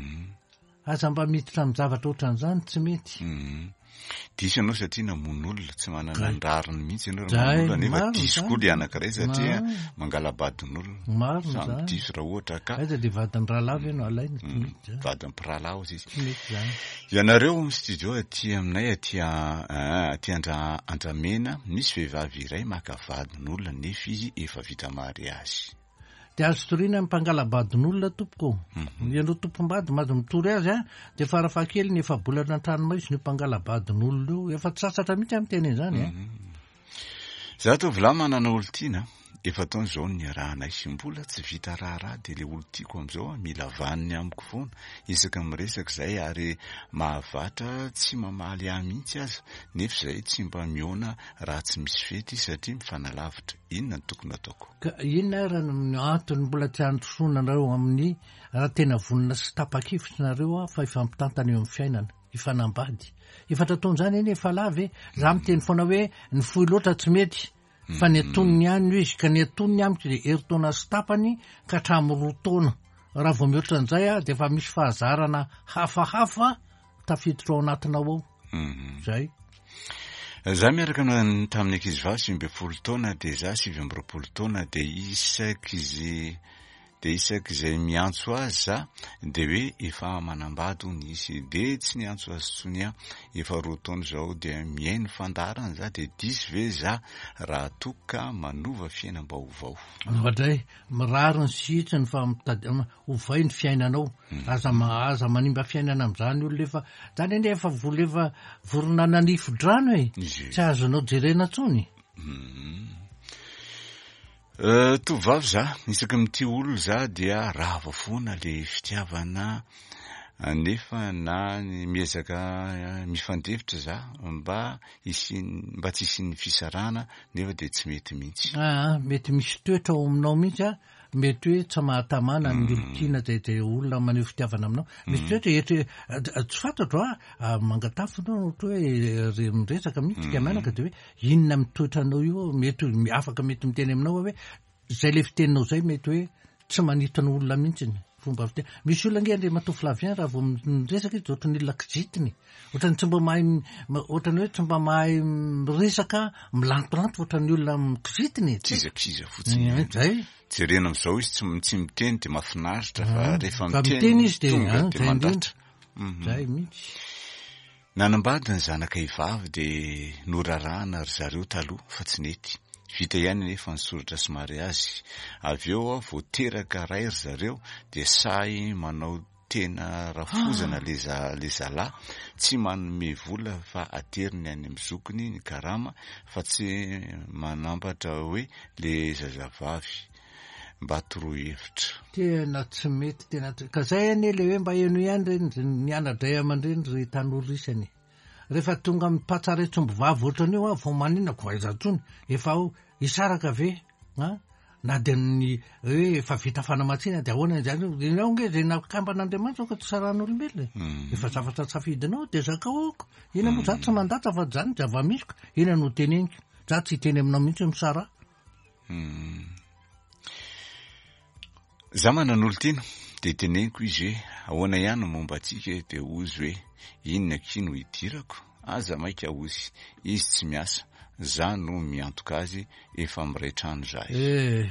Aza mba miditra amin'ny zavatra ohatran'izany, tsy mety. Diso ianao satria namono olona, tsy manana ny rariny mihitsy ianao raha mamono olona, nefa diso koa ilay anankiray satria mangala-badin'olona. Marina Samy izany. diso raha ohatra ka. Aiza dia vadin'ny rahalahy ve no alaina? Tsy mety izany. Vadin'ny mpirahalahy hozy izy. Tsy mety izany. Ianareo amin'ny studio aty aminay aty aty Andra Andramena, misy vehivavy iray maka vadin'olona nefa izy efa vita mariazy. Dia azo toriana ny mpangala-badin'olona tompoko ô. Ianao tompom-bady mahazo mitory azy an, dia farafahakeliny efa-bolana an-tranomaizina io mpangala-badin'olona io. Efa tsy sasatra mihitsy aho miteny an'izany an. Za tovolahy manana olon-tiana, efa-taona izao no niarahanay, mbola tsy vita raharaha dia ilay olon-tiako amin'izao an, mila vaniny amiko foana isaky ny miresaka izay ary mahavatra tsy mamaly ahy mihitsy aza, nefa izay tsy mba mihaona raha tsy misy fety satria mifanalavitra. Inona no tokony hataoko? Ka inona ary no antony mbola tsy handrosoana anareo amin'ny raha tena vonona sy tapa-kevitra nareo fa hifampitantana eo amin'ny fiainana, hifanambady. Efatra taona izany anie efa lava e! Za miteny foana hoe ny fohy loatra tsy mety fa ny antonony ihany no izy ka ny antonony amiko dia herintaona sy tapany ka hatramin'ny roa taona. Raha vao mihoatra an'izay aho dia efa misy fahazarana hafahafa tafiditra ao anatinao ao. Zay. Za miaraka tamin'ny ankizivavy 19 taona dia za 29 taona dia isak'izy dia isak'izay miantso azy za dia hoe efa manambady hono izy dia tsy niantso azy intsony aho efa roa taona izao dia mihaino fandaharana za dia diso ve za raha toa ka manova fiainam-baovao? Oadray, mirary ny sy hitsiny fa mitady ovay ny fiainanao, aza aza manimba fiainana amin'izany olona efa, zany anie efa vola efa vorona nanifo-drano e, tsy azonao jerena intsony. Tovovavy za, isaky ny mitia olona za dia rava foana le fitiavana nefa na miezaka mifandefitra za mba hisian'ny mba tsy hisian'ny fisarahana nefa dia tsy mety mihitsy. Aa, mety misy toetra ao aminao mihitsy an, mety hoe tsy mahatamana ny olon-tiana izay izay olona maneho fitiavana aminao. Misy toetra eto tsy fantatro a, mangatafo ianao ohatra hoe miresaka mihitsy ka mianaka dia hoe inona amin'ny toetranao io mety afaka mety miteny aminao aho hoe izay le fiteninao izay mety hoe tsy manintona olona mihitsy ny fomba fiteny. Misy olona ange Andriamatoa Flavien raha vao miresaka izy dia ohatran'ny olona kizitina e. Ohatran'ny tsy mba mahay ohatran'ny hoe tsy mba mahay miresaka milantolanto ohatran'ny olona kizitina e. Kizakiza fotsiny. Zay. Jerena amin'izao izy tsy tsy miteny dia mahafinaritra fa rehefa miteny izy dia tonga dia mandratra. Zay mihitsy. Nanambady ny zanakay vavy dia norarahana ry zareo taloha fa tsy nety. Vita ihany anefa ny soratra sy mariazy. Avy eo aho vao teraka ray ry zareo dia sahy manao tena rafozana le le zalahy, tsy manome vola fa ateriny any amin'ny zokiny ny karama fa tsy manampatra hoe le zazavavy. Mba toroy hevitra. Tena tsy mety tena tsy, ka zay anie le hoe mba henoy ihany re ny ana-dray aman-dreny ry tanora isany e. Rehefa tonga amin'ny mpatsaretsomby vavy ohatran'io aho vao maninona ko aiza intsony, efa ao hisaraka ve an? Na dia ny hoe efa vita fanamatsiana dia ahoana izany, ianao ange izay nakamban'Andriamanitra aoka tsy sarahan'olombelona e. Efa zavatra safidinao dia zakao aoka. Inona moa za tsy mandatsa fa zany zava-misy ko, inona no teneniko, za tsy hiteny aminao mihitsy hoe misaraha. Za manana olon-tiana dia teneniko izy hoe ahoana ihany ny momba antsika e, dia hozy hoe inona akia no hidirako, aza maika hozy, izy tsy miasa, za no miantoka azy, efa miray trano zahay. Eh,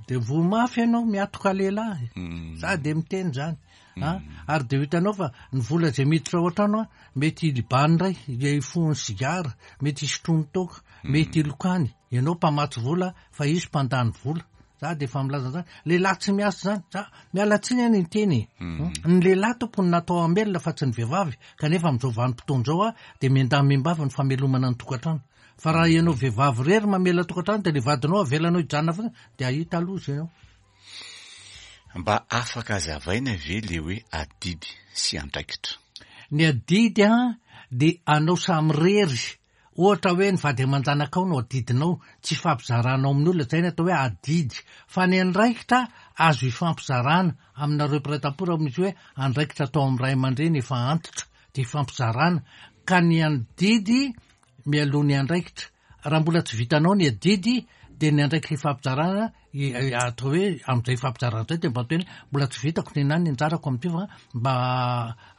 dia voa mafy ianao miatoka lehilahy, za dia miteny zany a, ary dia ho hitanao fa ny vola izay miditra ao an-trano a, mety hilibany indray, hifohony sigara, mety hisotroany toaka, mety hilokany, Ianao mpamatsy vola fa izy mpandany vola. Za dia efa milaza an'izany. Lehilahy tsy miasa izany. Za miala tsiny aho niteny e. Ny lehilahy tompony natao hamelona fa tsy ny vehivavy. Kanefa amin'izao vanim-potoana izao a, dia miandahy miambavy ny famelomana ny tokantrano. Fa raha ianao vehivavy irery mamela tokantrano dia ilay vadinao avelanao hijanona fotsiny dia hahita loza ianao. Mba afaka azavaina ve le hoe adidy sy andraikitra? Ny adidy a dia anao samirery Ohatra hoe ny vady aman-janakao no adidinao, tsy ifampizaranao amin'ny olona, izay ny atao hoe adidy. Fa ny andraikitra azo ifampizarana aminareo mpiray tampo raha misy hoe andraikitra atao amin'ny ray aman-dreny efa antitra dia ifampizarana. Ka ny adidy mialoha ny andraikitra. raha mbola tsy vitanao ny adidy dia ny andraikitra ifampizarana atao hoe amin'izay ifampizarana izay dia mba atao hoe mbola tsy vitako ny anah ny anjarako amin'ity fa mba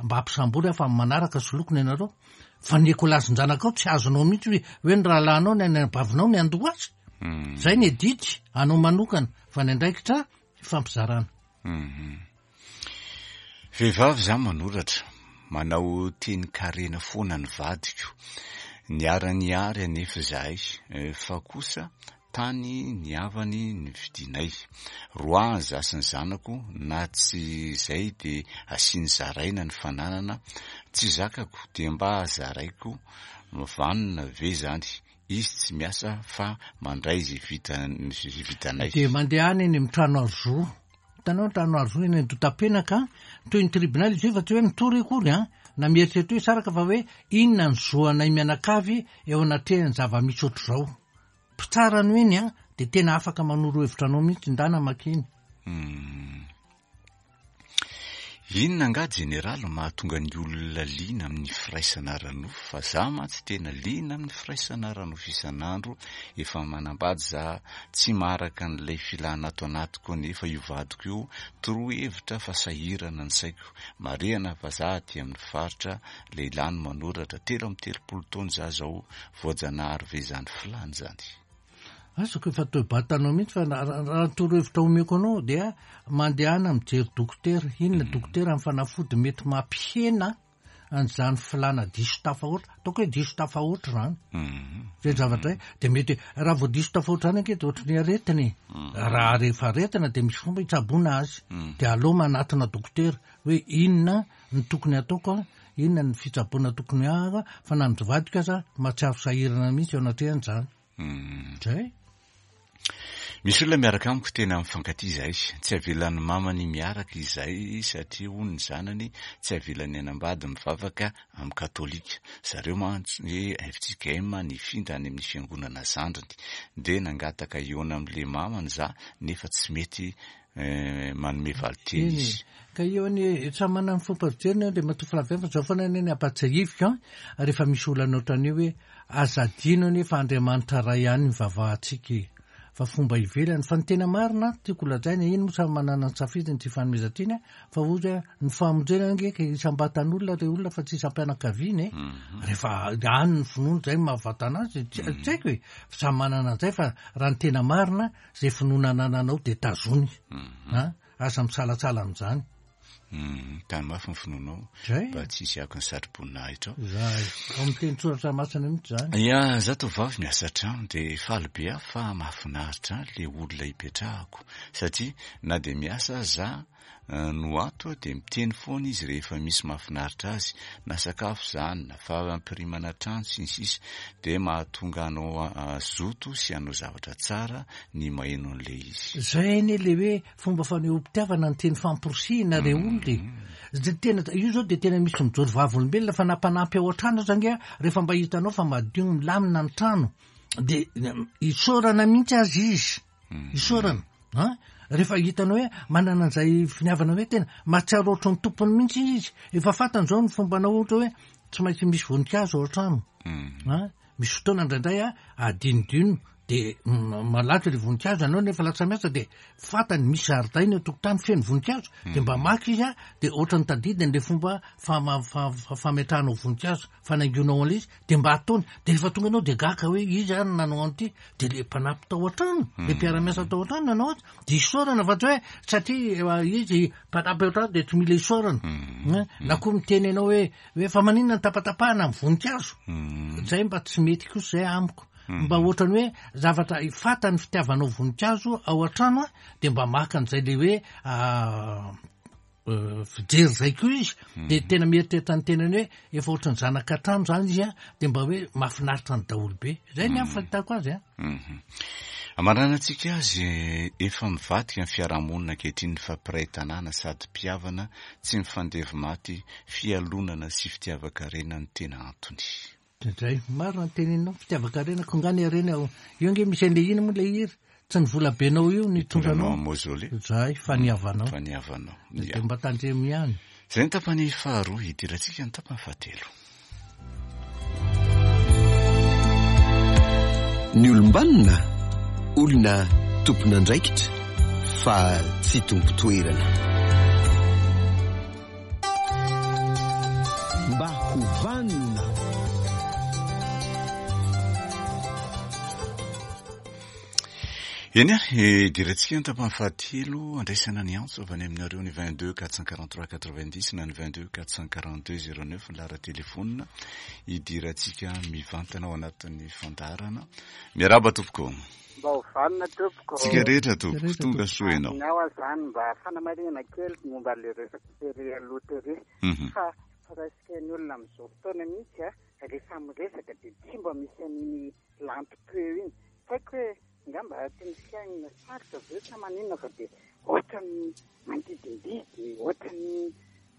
mba ampisambory aho fa amin'ny manaraka soloiko ny anareo. Fa ny ekolazin-janakao tsy azonao mihitsy hoe hoe ny rahalahinao ny anabavinao ny andoha azy. Zay ny adidy anao manokana fa ny andraikitra ifampizarana. Vehivavy za manoratra, manao tenin-karena foana ny vadiko, niara-niary anefa izahay fa kosa tany ny havany nividianay, roahiny za sy ny zanako na tsy izay de asiany zaraina ny fananana, tsy zakako de mba zaraiko vanona ve zany, izy tsy miasa fa mandray ze vitanay. De mandehana eny amin'ny trano aro zo. Hitanao ny trano aro zo eny Andotapenaka, toy ny tribunal izy io fa tsy hoe mitory akory an, na mieritreritra hoe hisaraka fa hoe inona ny zo anay mianakavy eo anatrehan'ny zava-misy ohatr'izao. Mpitsara no eny an, dia tena afaka manoro hevitra anao mihitsy, ndana makeny. Inona angaha jeneraly no mahatonga ny olona liana amin'ny firaisana ara-nofo fa za mantsy tena liana amin'ny firaisana ara-nofo isan'andro, efa manambady za, tsy maharaka an'ilay filana ato anatiko anefa io vadiko io, toroy hevitra fa sahirana ny saiko, marihana fa za aty amin'ny faritra, lehilahy no manoratra, 33 taona za zao, voajanahary ve izany filana izany? Azoko efa toe-batanao mihitsy fa raha ny torohevitra omeko anao dia mandehana mijery dokotera. Inona mm. dokotera ny fanafody mety mampihena an'izany filana diso tafahoatra. Ataoko hoe diso tafahoatra izany. Mm. Zay zavatra mm. dia mety raha vao diso tafahoatra izany ange dia ohatry ny aretina e. Mm. Raha rehefa aretina dia misy fomba hitsaboana azy. Dia aleo manatona dokotera hoe inona ny tokony ataoko a, inona ny fitsaboana tokony ahaka fa na ny vadiko aza mahatsiaro sahirana mihitsy eo anatrehan'izany. Zay. Misy olona miaraka amiko tena mifankatia izahay. Tsy avelan'ny mamany miaraka izahay satria hono ny zanany tsy avelany hanambady mivavaka amin'ny katolika. Zareo mantsy hoe fjkm nifindra any amin'ny fiangonana zandriny. Dia nangataka hihaona amin'ilay mamany za nefa tsy mety manome valinteny Eny e. izy. Ka io anie, samy manana ny fomba fijeriny Andriamatoa Flavien fa zao foana anie ny ampahatsiahiviko an, rehefa misy olana ohatran'io hoe aza adino anie fa Andriamanitra Ray ihany no ivavahantsika e. Fa fomba ivelany. Fa ny tena marina tiako holazaina, iny moa samy manana ny safidiny ity fanomezan-tsiny an, fa ohatra hoe ny famonjena ange ka isam-batan'olona re olona fa tsy isam-pianakaviana e. Rehefa any ny finoana izay no mahavatana azy, tsy haiko e. Fa samy manana an'izay fa raha ny tena marina, Zay finoana anananao dia tazony a! Aza misalatsala amin'izany. Tano mafy ny finoanao mba tsy hisy akony satroboninahitra ao. Zay, ao amin'ny teny soratra masina mihitsy izany. Ya, za tovovavy miasa an-trano dia faly be aho fa mahafinaritra ahy le olona ipetrahako satria na dia miasa aza za no ato dia miteny foana izy rehefa misy mahafinaritra azy, na sakafo izany, na fampirimana trano sy ny sisa dia mahatonga anao hazoto sy hanao zavatra tsara ny maheno an'ilay izy. Zay anie le hoe fomba fanehoam-pitiavana ny teny famporisihina re olona e! Zay tena, io zao dia tena misy mijoro vavolombelona fa na mpanampy ao an-trano aza ange rehefa mba hitanao fa madio milamina ny trano dia isaorana mihitsy aza izy. Isaorana an! Rehefa hitanao hoe manana an'izay finiavana hoe tena mahatsiaro ohatry ny tompony mihitsy izy, efa fantany izao ny fombanao ohatra hoe tsy maintsy misy voninkazo ao an-trano an! Misy fotoana indraindray an, adinodino dia malatra ilay voninkazo ianao nefa lasa miasa dia fantany misy zaridaina eo an-tokotany feno voninkazo dia mba maka izy an, dia ohatran'ny tadidiny ilay fomba fametrahanao voninkazo, fanaingoanao an'ilay izy dia mba ataony, dia rehefa tonga ianao dia gaga hoe iza ary no nanao an'ity, dia le mpanampy tao an-trano, le mpiara-miasa tao an-trano nanao azy, dia isaorana fa tsy hoe satria izy mpanampy ao an-trano dia tsy mila isaorana. Na koa miteny ianao hoe hoe fa maninona ny tapatapahana amin'ny voninkazo, zay mba tsy mety kosa zay amiko. Mba ohatran'ny hoe zavatra fantany fitiavanao voninkazo ao an-trano dia mba maka an'izay le hoe fijery zay koa izy de tena mieritreritra ny tenany hoe efa ohatran'ny zanaka trano zany izy a de mba hoe mahafinaritra ny daholo be zay ny amin'ny fahitako azy a. Amaranantsika azy efa mivadika ny fiarahamonina ankehitriny fa mpiray tanàna sady mpihavana tsy mifandevy maty fialonana sy fitiavan-karena no tena antony. Dray, marina ny teneninao, fitiavan-karena, ko nga ny harena ao, io ange misy an'le ina moa ilay hira, tsy ny vola benao io no hitondra anao, mausolée, zay, fa ny havanao, fa ny havanao, dia mba tandremo ihany. Zay ny tapany faharoa, hidirantsika ny tapany fahatelo. Ny olom-banona, olona tompon'andraikitra fa tsy tompon-toerana. Mba ho vanona. Eny ary, idirantsika ny tapany fahatelo andraisana ny antso avy any aminareo ny 22 443 90 na ny 22 442 09 ny laharan-telefonina idirantsika mivantana ao anatin'ny fandaharana. Miarahaba tompoko. Mba ho vanona tompoko. Tsika rehetra tompoko, tonga soa ianao. Ny aho zany mba fanamarihana kely momba le resaka tery aloha tery mhm. fa presque ny olona amin'izao fotoana mihitsy a rehefa miresaka dia tsy mba misy an'iny lantom-peo iny. Tsy haiko hoe angamba tsy ny fiainana sarotra ve sa maninona fa dia ohatran'ny mandidindidy, ohatran'ny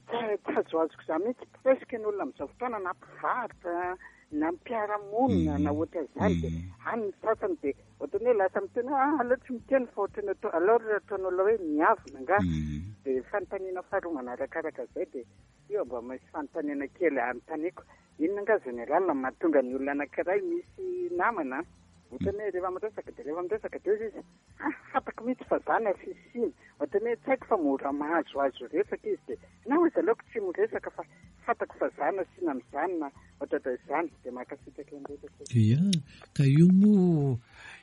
tsy tsy azoazoko izany mihitsy. Presque ny olona amin'izao fotoana na mpivarotra na mpiara-monina na ohatran'izany dia any ny sasany dia ohatran'ny hoe lasa miteny hoe ah aleo tsy miteny fa ohatran'ny atao alors ataon'olona hoe miavona angaha. Dia fanontaniana faharoa manarakaraka izay dia Io mba misy fanontaniana kely anontaniako. Inona angaha général no mahatonga ny olona anankiray misy namana an, ohatran'ny hoe rehefa miresaka dia rehefa miresaka dia hozy izy, ah fantako mihitsy fa za no afisiny, ohatran'ny hoe tsy haiko fa mora mahazoazo resaka izy dia na hozy aleoko tsy miresaka fa fantako fa za no asiana amin'izany na ohatrohatran'izany, dia mankasitraka indrindra tompoko. Ia, ka io moa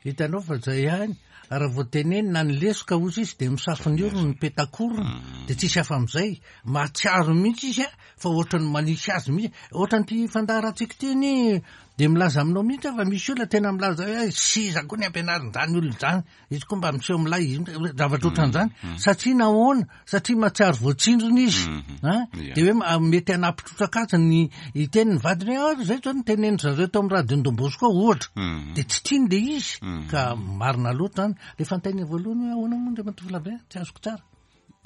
hitanao fa zay ihany, raha vao tenenina ny lesoka hozy izy dia misafo ny orony ny petakorona dia tsisy hafa amin'izay. Mahatsiaro mihitsy izy a, fa ohatran'ny manisy azy mihitsy. Ohatran'ity fandaharantsika ity anie dia milaza aminao mihitsy aho fa misy olona tena milaza hoe seza koa ny ampianarin'izany olona izany. Izy koa mba miseho milay, izy zavatra ohatran'izany. Satria nahoana? Satria mahatsiaro voatsindrona izy. An? Dia hoe mety hanampy trotraka azy ny hiteny ny vadiny hoe ah, izay izao no tenenin-dry zareo tao amin'ny radio Don Bosco ohatra. Dia tsy tiany ilay izy. Ka marina loatra izany. Ilay fanontaniana voalohany hoe ahoana moa Andriamatoa Flavien? Tsy azoko tsara.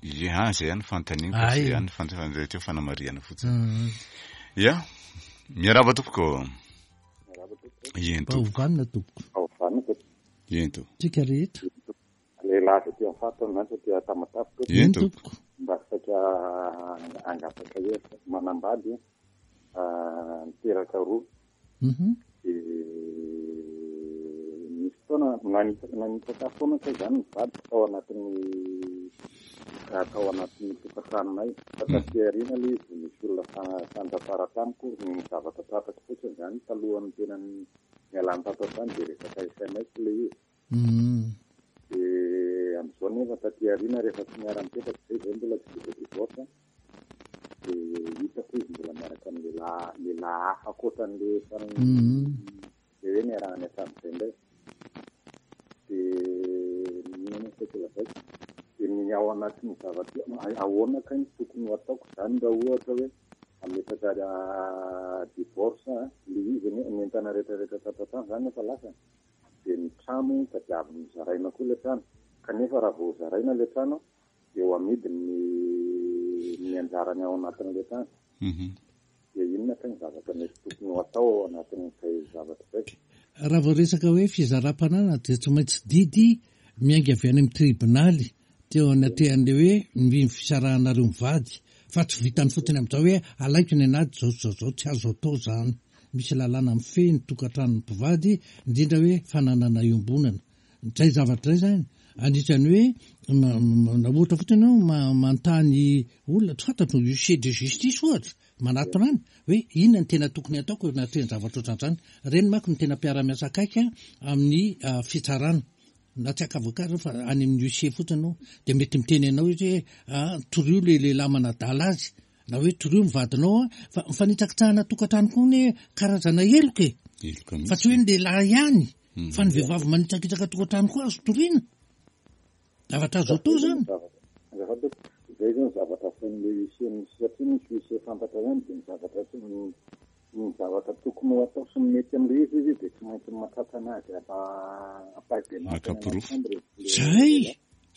Ia, izay ihany ny fanontaniana fa izay ihany ny fanontaniana teo fanamarihana fotsiny. Mm. Ia, miarahaba tompoko. Miarahaba tompoko. Eny tompoko. Vanona tompoko. Ao vanona tompoko. Eny tompoko. Tsika rehetra. Lehilahy avy aty amin'ny faritra mantsy aty Tamatave tompoko. Eny tompoko. Mba saika hangataka hevitra. Manambady, ah, niteraka roa. Dia nisy fotoana nanitsaka ahy foana kay izany ny vadiko tao anatin'ny tao anatin'ny tokantranonay. Fa taty aoriana ilay izy vao nisy olona fantatra tamiko, ny zavatra tratrako fotsiny izany talohan'ny tena nialany tato an-trano dia resaka sms ilay izy. Dia amin'izao nefa taty aoriana rehefa tsy miara-mipetraka izay, izay mbola tsy vita divorce, dia hitako izy mbola miaraka amin'ny lehilahy lehilahy hafa ankoatran'ilay efa ilay hoe niarahany hatramin'izay indray. Dia inona moa no saika lazaiko? Dia ny ao anatin'ny zavatra ahoana kay no tokony ho ataoko izany raha ohatra hoe hametraka divorce ilay izy anie ny entana rehetra rehetra tato an-trano izany efa lasany. Dia ny trano tadiaviny ho zaraina koa ilay trano. Kanefa raha vao zaraina ilay trano dia ho amidy ny ny anjarany ao anatin'ilay trano. Dia inona kay ny zavatra mety tokony ho atao ao anatin'izay zavatra izay? Raha vao resaka hoe fizaram-pananana dia tsy maintsy didy miainga avy any amin'ny tribonaly teo anatrehan'ilay hoe ny fisarahanareo mivady fa tsy vitany fotsiny amin'izao hoe alaiko ny an'ady izao sy izao izao, tsy azo atao izany. Misy lalàna mifehy ny tokantranon'ny mpivady indrindra hoe fananana iombonana. Izay zavatra izay izany anisan'ny hoe na ohatra fotsiny ianao manontany olona tsy fantatro, huissier de justice ohatra, manatona any hoe inona no tena tokony hataoko eo anatrehan'ny zavatra ohatran'izany. Ireny manko no tena mpiara-miasa akaiky amin'ny fitsarana. Na tsy haka avocat ireo fa any amin'ny huissier fotsiny ianao dia mety miteny anao izy hoe ah torio ilay lehilahy manadala azy na hoe torio ny vadinao an, fa ny fanitsakitsahana tokantrano koa anie karazana heloka e! Heloka mihitsy. Fa tsy hoe ny lehilahy ihany fa ny vehivavy manitsakitsaka tokantrano koa azo toriana. Zavatra azo atao izany. Azafady tompoko, izay izao ny zavatra asain'ilay huissier misy satria misy huissier fantatra ihany dia ny zavatra tsy Ny zavatra tokony ho atao sy ny mety amin'ilay izy izy dia tsy maintsy mahatratra anazy ampahibemaso Maka any anaty porofo. chambre ilay Zay! lehilahy.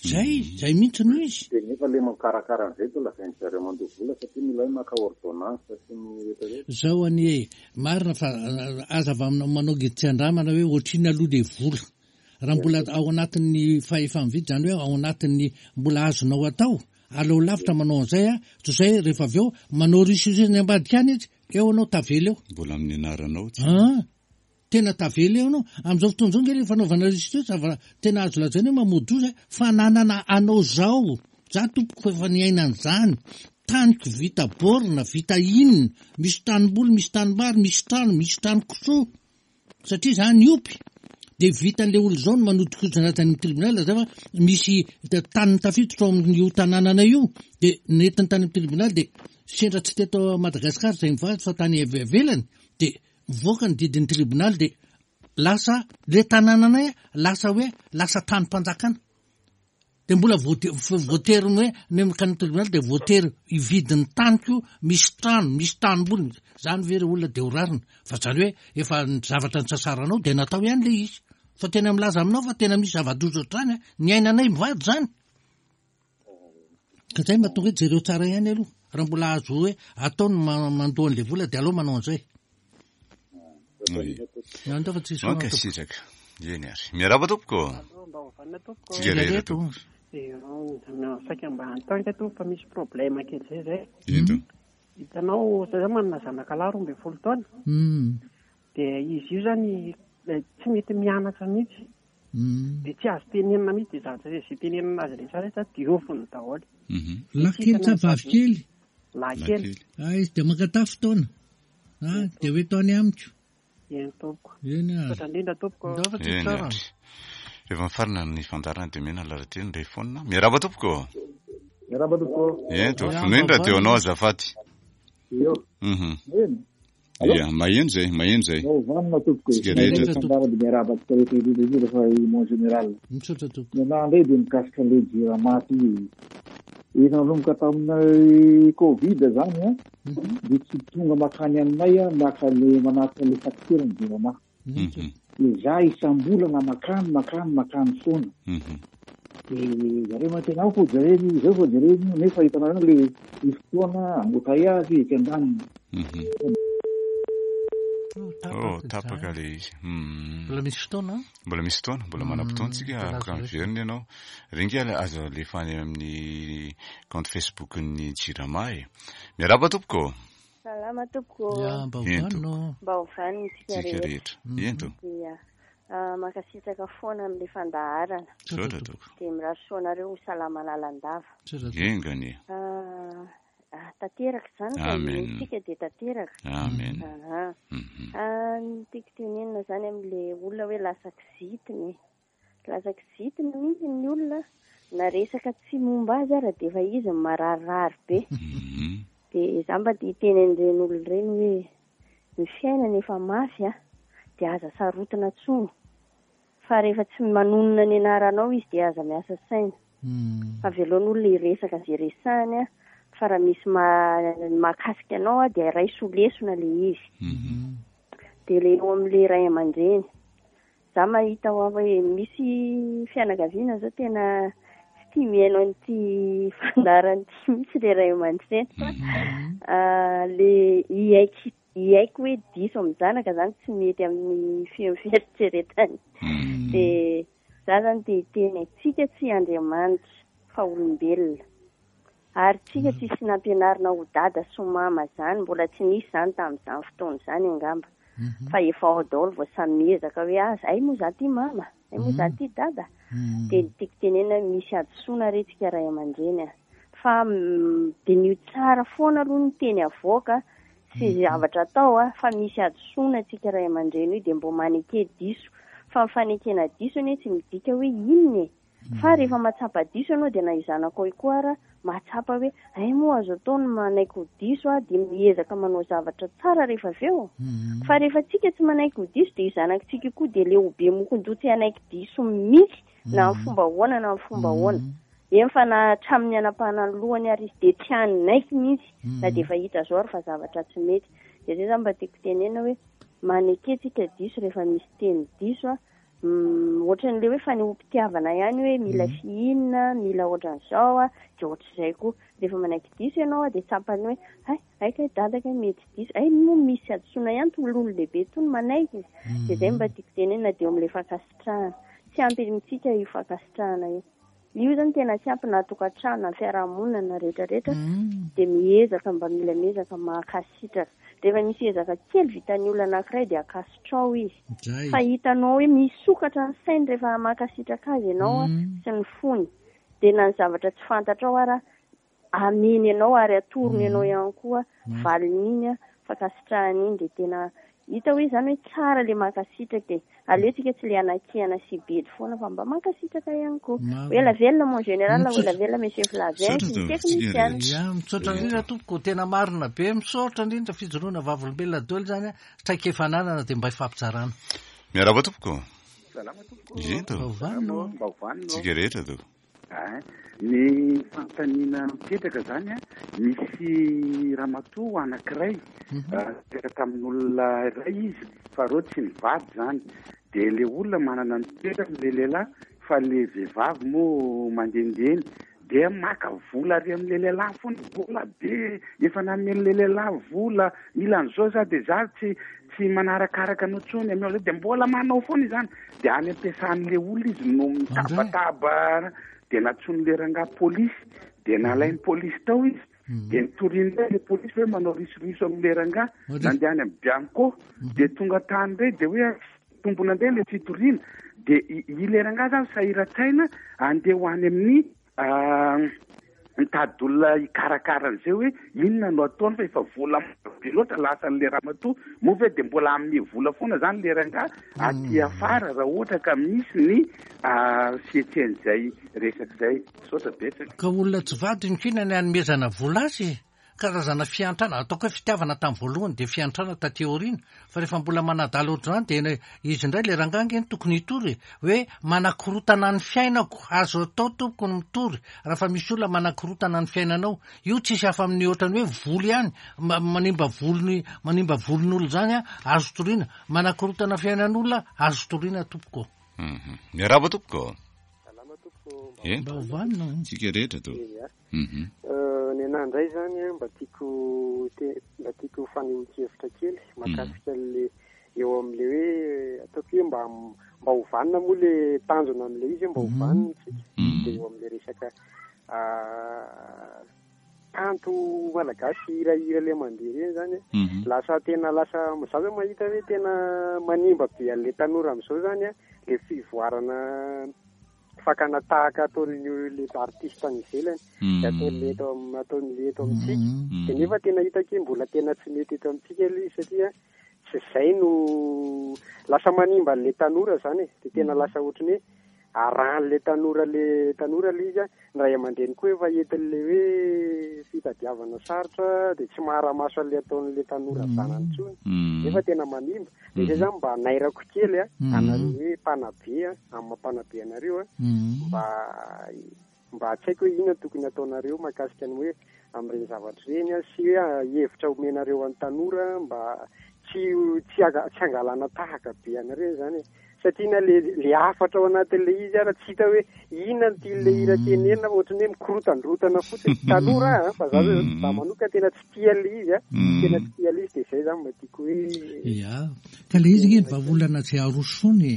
Zay! Zay mihitsy no izy. Dia nefa ilay mikarakara an'izay toa lazain-dry zareo mandoa vola satria mila hoe maka ordonnance sy ny rehetra rehetra. Zao anie e, marina fa aza avy aminao manao ngidy tsy andramana hoe ohatrinona aloha le vola. Raha mbola ao anatin'ny fahefa-mividy, izany hoe ao anatin'ny mbola azonao atao, aleo lavitra manao an'izay a, toy izay rehefa avy eo manao risoriso any ambadika any izy, eo anao tavela eo. Mbola amin'ny anaranao tsy. An! Tena tavela eo ianao. Amin'izao fotoana izao ange ilay fanaovana restitution zava tena azo lazaina hoe mamoa-doza e, fananana anao izao. Za tompoko efa niaina an'izany. Taniko vita borne, vita inona, misy tanimboly, misy tanimbary, misy trano, misy trano kisoa. Satria za niompy dia vitan'ilay olona izao ny manodinkodina azy any amin'ny tribunal zay fa misy tany tafiditra ao amin'io tanànanay io dia nentiny tany amin'ny tribunal dia sendra tsy teto Madagasikara izay mivady fa tany ivelany dia mivoaka ny didin'ny tribonaly dia lasa le tanànanay lasa hoe lasa tanim-panjakana. Dia mbola voatery ny hoe ny mankany amin'ny tribonaly dia voatery hividy ny taniko misy trano, misy tanimboly. Zany ve ry olona dia ho rariny? Fa zany hoe efa ny zavatra nitsasaranao dia natao ihany le izy. Fa tena milaza aminao fa tena misy zava-doza ohatr'izany an. Niainanay mivady zany. Ka zay mahatonga hoe jereo tsara ihany aloha. Raha mbola azo hoe atao ny mandoa an'ilay vola dia aleo manao an'izay. Oui. Mankasitraka. Eny ary. Miarahaba tompoko. Mba ho vanona tompoko. Tsika rehetra tompoko. Saika mba hanontany tompoko fa misy problème kely zay zay. Ento. Hitanao, za zany manana zanaka lahy 12 taona. Dia izy io zany tsy mety mianatra mihitsy. Dia tsy azo tenenina mihitsy dia zavatra izay tenenina azy rehetra rehetra dioviny daholo. Lahy kely sa vavy kely? Lahy kely. Ah, izy dia mankatà fotoana. Ah, dia ho eto any amiko. Eny tompoko. Eny ary. Misaotra indrindra tompoko. Ndao fa tsy Eny tsara. ary. Rehefa mifarana ny fandaharana dia omena lahateny ilay fonina. Miarahaba tompoko. Miarahaba tompoko. Ento, Miarahaba vonoy ny radio anao vanona. azafady. Eo. Mhm. Eny. Allô? Ia, maheno zay, maheno zay. Mba ho vanona tompoko e. Tsika Tsika rehetra. rehetra fandaharana dia miarahaba antsika rehetra indrindra indrindra fa i mon général. Misaotra tompoko. Ny anahy indray dia mikasika an'ilay jirama ty. Efa nanomboka tamin'ny Covid zany an, dia tsy tonga makany aminay an, maka le manatitra le facture ny jirama. Dia za isam-bolana makany makany makany foana. Dia zareo mantsy ao fô jerena io, izao fô jerena io, nefa hitanareo le ny fotoana hamoaka azy etsy andaniny. Oh, tapaka le izy. Mbola misy fotoana? Mbola misy fotoana, mbola manam-potoana tsika, afaka miverina ianao. Ringa aza alefa any amin'ny compte Facebook-n'ny Jirama e. Miarahaba tompoko. Salama tompoko. Ya, mba ho vanona. Mba ho vanona isika Tsika rehetra. Ento. Ya. Mankasitraka foana amin'ilay fandaharana. Misaotra tompoko. Dia mirary soa anareo ho salama lalandava. Enga anie. Tanteraka izany fa Amen. inoantsika dia tanteraka. Amen. Aha. Ny tiako tenenina izany amin'ilay olona hoe lasa kizitina e. Lasa kizitina mihitsy ny olona na resaka tsy momba azy ara dia efa izy no mararirary be. Dia za mba te hiteny an'ireny olona ireny hoe ny fiainana efa mafy a, dia aza sarotina intsony. Fa rehefa tsy manonona ny anaranao izy dia aza miasa saina. Fa avelao ny olona hiresaka izay resahany a, fa raha misy mahakasika anao a dia raiso ho lesona ilay izy. Dia ilay eo amin'ilay ray aman-dreny. Za mahita hoa hoe misy fianakaviana zao tena tsy tia mihaino an'ity fandaharana ity mihitsy le ray aman-dreny fa le hiaiky hiaiky hoe diso amin'ny zanaka zany tsy mety amin'ny fieritreretany. Dia za zany te hiteny antsika tsy Andriamanitra fa olombelona. Ary tsika tsisy nampianarina ho dada sy ho mama zany, mbola tsy nisy zany tamin'izany fotoana izany angamba. Fa efa ao daholo vao samy miezaka hoe ah, ay moa za ty mama, ay moa za ty dada. Dia ny tiako tenenina hoe misy hadisoana re tsika ray aman-dreny a. Fa diniho tsara foana aloha ny teny avoaka sy zavatra atao a, fa misy hadisoana tsika ray aman-dreny io dia mbô maneke diso. Fa ny fanekena diso anie tsy midika hoe inona e. Fa rehefa mahatsapa diso ianao dia na io zanakao io koa ara mahatsapa hoe hay moa azo atao ny manaiky ho diso aho dia miezaka manao zavatra tsara rehefa avy eo. Fa rehefa tsika tsy manaiky ho diso dia io zanakitsika io koa dia le ho be mokon-doha tsy hanaiky diso mihitsy na amin'ny fomba ahoana na amin'ny fomba ahoana. Eny fa na hatramin'ny hanapahana ny lohany ary izy dia tsy hanaiky mihitsy na dia efa hita zao ary fa zavatra tsy mety. Dia zay zany mba tiako tenenina hoe maneke tsika diso rehefa misy teny diso a. Ohatran'ilay hoe fanehoam-pitiavana ihany hoe mila fihinina, mila ohatran'izao a, dia ohatr'izay koa. Rehefa manaiky diso ianao a, dia tsapany hoe hay, hay kay dada kay mety diso, hay moa misy hadisoana ihany toy ny olon-dehibe toy ny manaiky. Dia izay mba tiako tenenina dia eo amin'ilay fankasitrahana. Tsy ampy amintsika io fankasitrahana io. Io zany tena tsy ampy na tokantrano na fiarahamonina na rehetra rehetra dia miezaka mba mila miezaka mankasitraka. Rehefa misy ezaka kely vitan'ny olona anankiray dia ankasitrao izy. Fa hitanao hoe misokatra ny sainy rehefa mankasitraka azy ianao sy ny fony. Dia na ny zavatra tsy fantatrao ara ameny anao ary atorony anao ihany koa valin'iny fankasitrahana iny dia tena hita hoe izany hoe tsara le mankasitraka e. Aleo tsika tsy le anakihana sy bedy foana fa mba mankasitraka ihany koa. Ho ela velona mon général, ho ela velona monsieur Flavien sy ny teknisiana. Ya, misaotra indrindra tompoko, tena marina be, misaotra indrindra fijoroana vavolombelona daholo izany, traikefa ananana dia mba hifampizarana. Miarahaba tompoko. Salama tompoko. Ento. Mba Mba hovanina. Tsika rehetra tompoko. Ein, ny fanontaniana mipetraka zany an, misy ramatoa anankiray nipetraka tamin'olona iray izy fa reo tsy nivady zany, de le olona manana ny toerany le lehilahy fa le vehivavy moa mandehandeha eny dia maka vola ary amin'le lehilahy foana, vola be, efa namen'le lehilahy vola, mila an'izao za de za tsy tsy manarakaraka anao intsony, ameo zay, de mbola manao foana izany, de any am-piasan'le olona izy no mitabataba, de nantsoin'le rangahy polisy, de nalain'ny polisy tao izy, de nitoriany indray le polisy hoe manao risoriso amin'le rangahy, nandeha any amin'ny Bianco, de tonga tany indray de hoe tombona indray le fitoriana, de i le rangahy zany sahiran-tsaina andeha ho any amin'ny Mitady olona hikarakara an'izay hoe inona no ataony fa efa vola maro be loatra lasan'ilay ramatoa, moa ve dia mbola hanome vola foana izany ilay rangahy aty afara raha ohatra ka misy ny fihetsehan'izay resaka izay. Misaotra betsaka. Ka olona tsy vadiny ko inona ny hanomezana vola azy e? Karazana fiantrana, ataoko hoe fitiavana tamin'ny voalohany dia fiantrana taty aoriana, fa rehefa mbola manadala ohatr'izany dia izy indray ilay rangahy ange no tokony hitory e, hoe manakorotana ny fiainako, azo atao tompoko ny mitory raha fa misy olona manakorotana ny fiainanao, io tsisy hafa amin'ny ohatran'ny hoe voly ihany, manimba volony, manimba volon'olona izany an, azo toriana, manakorotana fiainan'olona azo toriana tompoko. Miarahaba tompoko. Salama tompoko. Mba ho vanona. Tsika rehetra to. Ny anah indray izany an, mba tiako mba tiako fanehoan-kevitra kely mahakasika an'le eo amin'le hoe ataoko hoe mba mba ho vanona moa le tanjona amin'le izy hoe mba ho vanona isika dia eo amin'le resaka kanto malagasy hirahira le mandeha ireny izany lasa tena lasa za zao mahita hoe tena manimba be an'le tanora amin'izao izany an le fivoarana fakana tahaka ataon'ny le artiste any ivelany de ataon'ny eto ataon'ny eto amintsika de nefa tena hitako hoe mbola tena tsy mety eto amintsika ilay izy satria tsy izay no lasa manimba an'le tanora zany e de tena lasa ohatran'ny hoe arahan'le tanora le tanora le izy a ny ray aman-dreny koa efa entin'le hoe fitadiavana sarotra de tsy mahara-maso an'le ataon'le tanora zanany intsony nefa tena manimba De zay zany mba anairako kely a, anareo hoe mpanabe a, amin'ny maha mpanabe anareo a, mba mba tsy haiko hoe inona tokony ataonareo mahakasika ny hoe amin'ireny zavatra ireny a, sy hoe hevitra omenareo an'ny tanora mba tsy tsy tsy hangalana tahaka be anareo zany e. Satria na le le hafatra ao anatin'le izy ara tsy hita hoe inona no tian'le hira tenenina fa ohatran'ny hoe mikorotandrotana fotsiny. Tanora aho a, fa za zao za manokana tena tsy tia an'ilay izy a, tena tsy tia an'ilay izy dia izay izany mba tiako hoe. Ya, ka ilay izy ange ny vahaolana tsy arosoany e,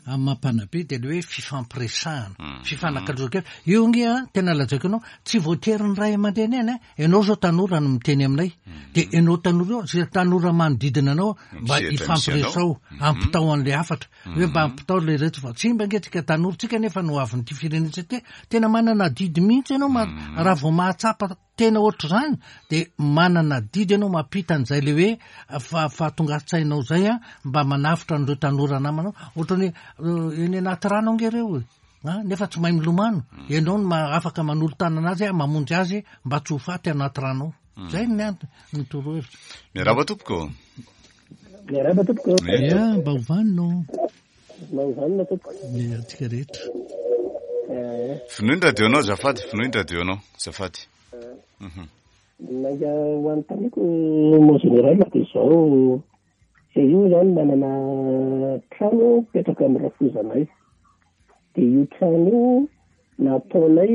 amin'ny maha mpanabe dia ilay hoe fifampiresahana, fifanakalozan-kevitra. Io ange an, tena lazaiko anao, tsy voatery ny ray aman-dreny ihany an, ianao izao tanora no miteny aminay, dia ianao tanora io, izay tanora manodidina anao mba hifampiresaho, ampitao an'ilay hafatra, hoe mba ampitao ilay reto fa tsy mba ange tsika tanora, tsika anefa no hoavin'ity firenena ity, tena manana adidy mihitsy ianao raha vao mahatsapa Tena ohatr'izany dia manana adidy ianao mampita an'izay le hoe fahatongan-tsainao izay an, mba manavotra an'ireo tanora namanao. Ohatran'ny hoe eny anaty rano ange ireo e, an, nefa tsy mahay milomano. Ianao no afaka manolo-tanana azy mamonjy azy mba tsy ho faty anaty rano ao. Izay ny antony, ny torohevitra. Miarahaba tompoko. Miarahaba tompoko. Ya, mba ho vanona ô. Mba ho vanona tompoko. Ny antsika rehetra. Vonoy ny radio-nao azafady, vonoy ny radio-nao azafady. Ny ho anontaniako mon général dia izao, zay io zany manana trano mipetraka amin'ny rafozanay, dia io trano io nataonay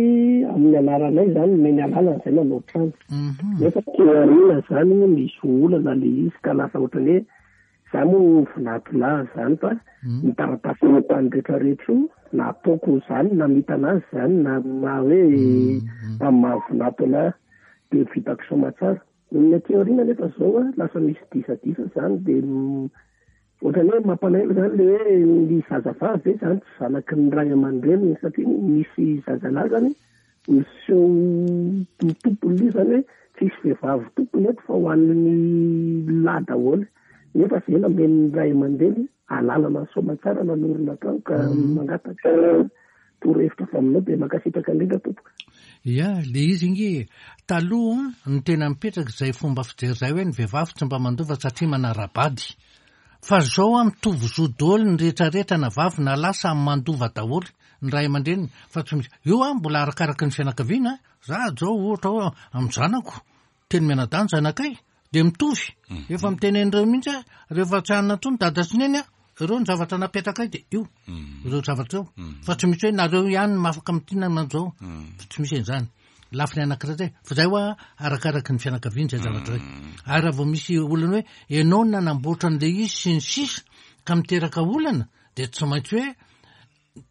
amin'ny anaranay zany, nomeny alalana zay nanao trano, nefa teo aoriana zany nisy olana le izy ka lasa ohatran'ny hoe. Za moa vinantolahy zany fa ny taratasy eny an-tany rehetra rehetra io nataoko zany namitana azy zany na maha hoe amin'ny maha vinanto anahy de vitako soamatsara. Ny aty aoriana nefa zao a lasa misy disadisa zany de ohatran'ny hoe mampalahelo zany le hoe ny zazavavy ve zany tsy zanaky ny ray aman-dreniny satria misy zazalahy zany Miseho ho tompony io zany hoe tsisy vehivavy tompony eto fa ho an'ny lahy daholo. Nefa zay namen'ny ray aman-dreny alalana soamantsara nanorina trano ka mangataka torohevitra avy aminao dia mankasitraka indrindra tompoko. Ya, le izy nge e. Taloha no tena mipetraka izay fomba fijery izay hoe ny vehivavy tsy mba mandova satria manara-bady. Fa zao an mitovy zo doly ny rehetra rehetra na vavy na lahy samy mandova daholo ny ray aman-dreniny fa tsy misy io an mbola arakaraky ny fianakaviana an za zao ohatra hoe amin'ny zanako telo mianadahy ny zanakay de mitovy efa miteny an'ireo mihitsy aho rehefa tsy hanana intsony dada sy neny an ireo ny zavatra napetrakay de io ireo zavatra eo fa tsy misy hoe nareo ihany no afaka mitinana an'izao fa tsy misy an'izany. Lafiny anankiray zay, fa zay hoa arakaraky ny fianakaviana zay zavatra zay. Ary raha vao misy olana hoe ianao no nanamboatra an'ilay izy sy ny sisa ka miteraka olana dia tsy maintsy hoe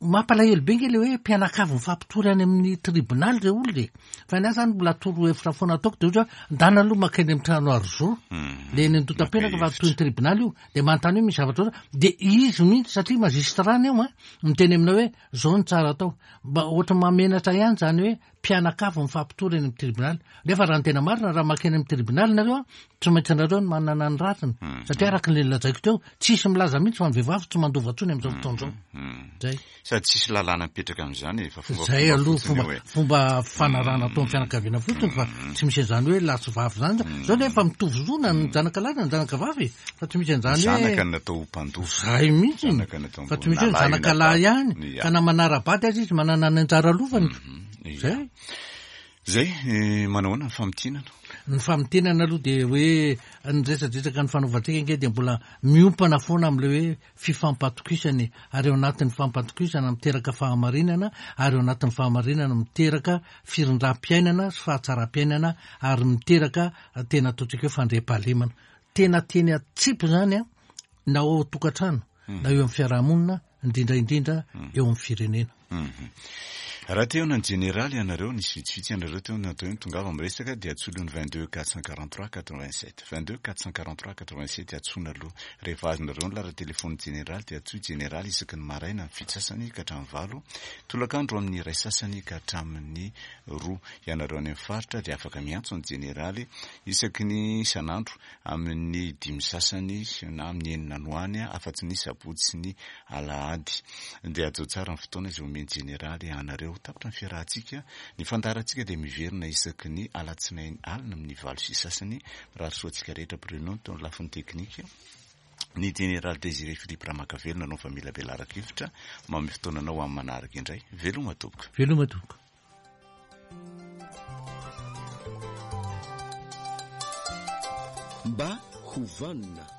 mampalahelo be nge le hoe mpianakavy mifampitory any amin'ny tribonaly re olona e. Fa ny ahy zany mbola torohevitra foana ataoko de ohatra hoe ndana aloha makeny amin'ny trano aro-zo le eny Andotapenaka fa toy ny tribonaly io de manontany hoe misy zavatra ohatra de izy mihitsy satria magistrat ny eo an miteny aminao hoe zao no tsara atao. Mba ohatran'ny mahamenatra ihany izany hoe mpianakavy mifampitory eny amin'ny tribonaly. Nefa raha ny tena marina, raha mankeny amin'ny tribonaly nareo an, tsy maintsy nareo no manana ny rariny. Satria araka ny lazaiko teo, tsisy milaza mihitsy fa ny vehivavy tsy mandova intsony amin'izao fotoana izao. Zay. Sady tsisy lalàna mipetraka amin'izany e, fa fombafomba Zay aloha fotsiny fomba io e. fomba fanarahana ataon'ny fianakaviana fotsiny fa tsy misy an'izany hoe lahy sy vavy izany. Zao nefa mitovy zo na ny zanaka lahy na ny zanaka vavy e. Fa tsy misy an'izany hoe. Zanaka no natao ho mpandova. Zay mihitsy. Zanaka natao Fa tsy misy hoe ny zanaka lahy ihany. Ka na manara-bady aza izy manana ny anjara lovany. Zay. Zay, manao ahoana ny famintinana? Ny famintinana aloha dia hoe ny resadresaka nifanaovantsika ange dia mbola miompana foana amin'ilay hoe fifampatokisana e. Ary ao anatin'ny fampatokisana miteraka fahamarinana, ary ao anatin'ny fahamarinana miteraka firindram-piainana sy fahatsaram-piainana ary miteraka tena ataontsika hoe fandriampahalemana. Tena teny atsipy izany an, na ao an-tokantrano, na eo amin'ny fiarahamonina, indrindra indrindra eo amin'ny firenena. Raha te hihaona ny jeneraly ianareo, nisy vitsivitsy ianareo teo natao hoe tongava miresaka dia antsoy aloha ny 22 443 87. 22 443 87 antsoina aloha. Rehefa azonareo ny laharan-telefaonin'ny jeneraly dia antsoy jeneraly isaky ny maraina amin'ny fito sasany ka hatramin'ny valo, tolakandro amin'ny iray sasany ka hatramin'ny roa. Ianareo any amin'ny faritra dia afaka miantso ny jeneraly Isaky ny isan'andro, amin'ny dimy sasany na amin'ny enina any ho any, afa-tsy ny sabotsy sy ny alahady. Dia hajao tsara ny fotoana izay omen'ny Jeneraly anareo. Tapitra ny fiarahantsika. Ny fandaharantsika dia miverina isaky ny alatsinainy alina amin'ny valo sy sasany. Mirary soa antsika rehetra Bruno teo amin'ny lafiny teknika. Ny Jeneraly Désiré Philippe Ramakavelo nanao famelabelaran-kevitra. Manome fotoana anao amin'ny manaraka indray. Veloma tompoko. Veloma tompoko. Mba ho vanona.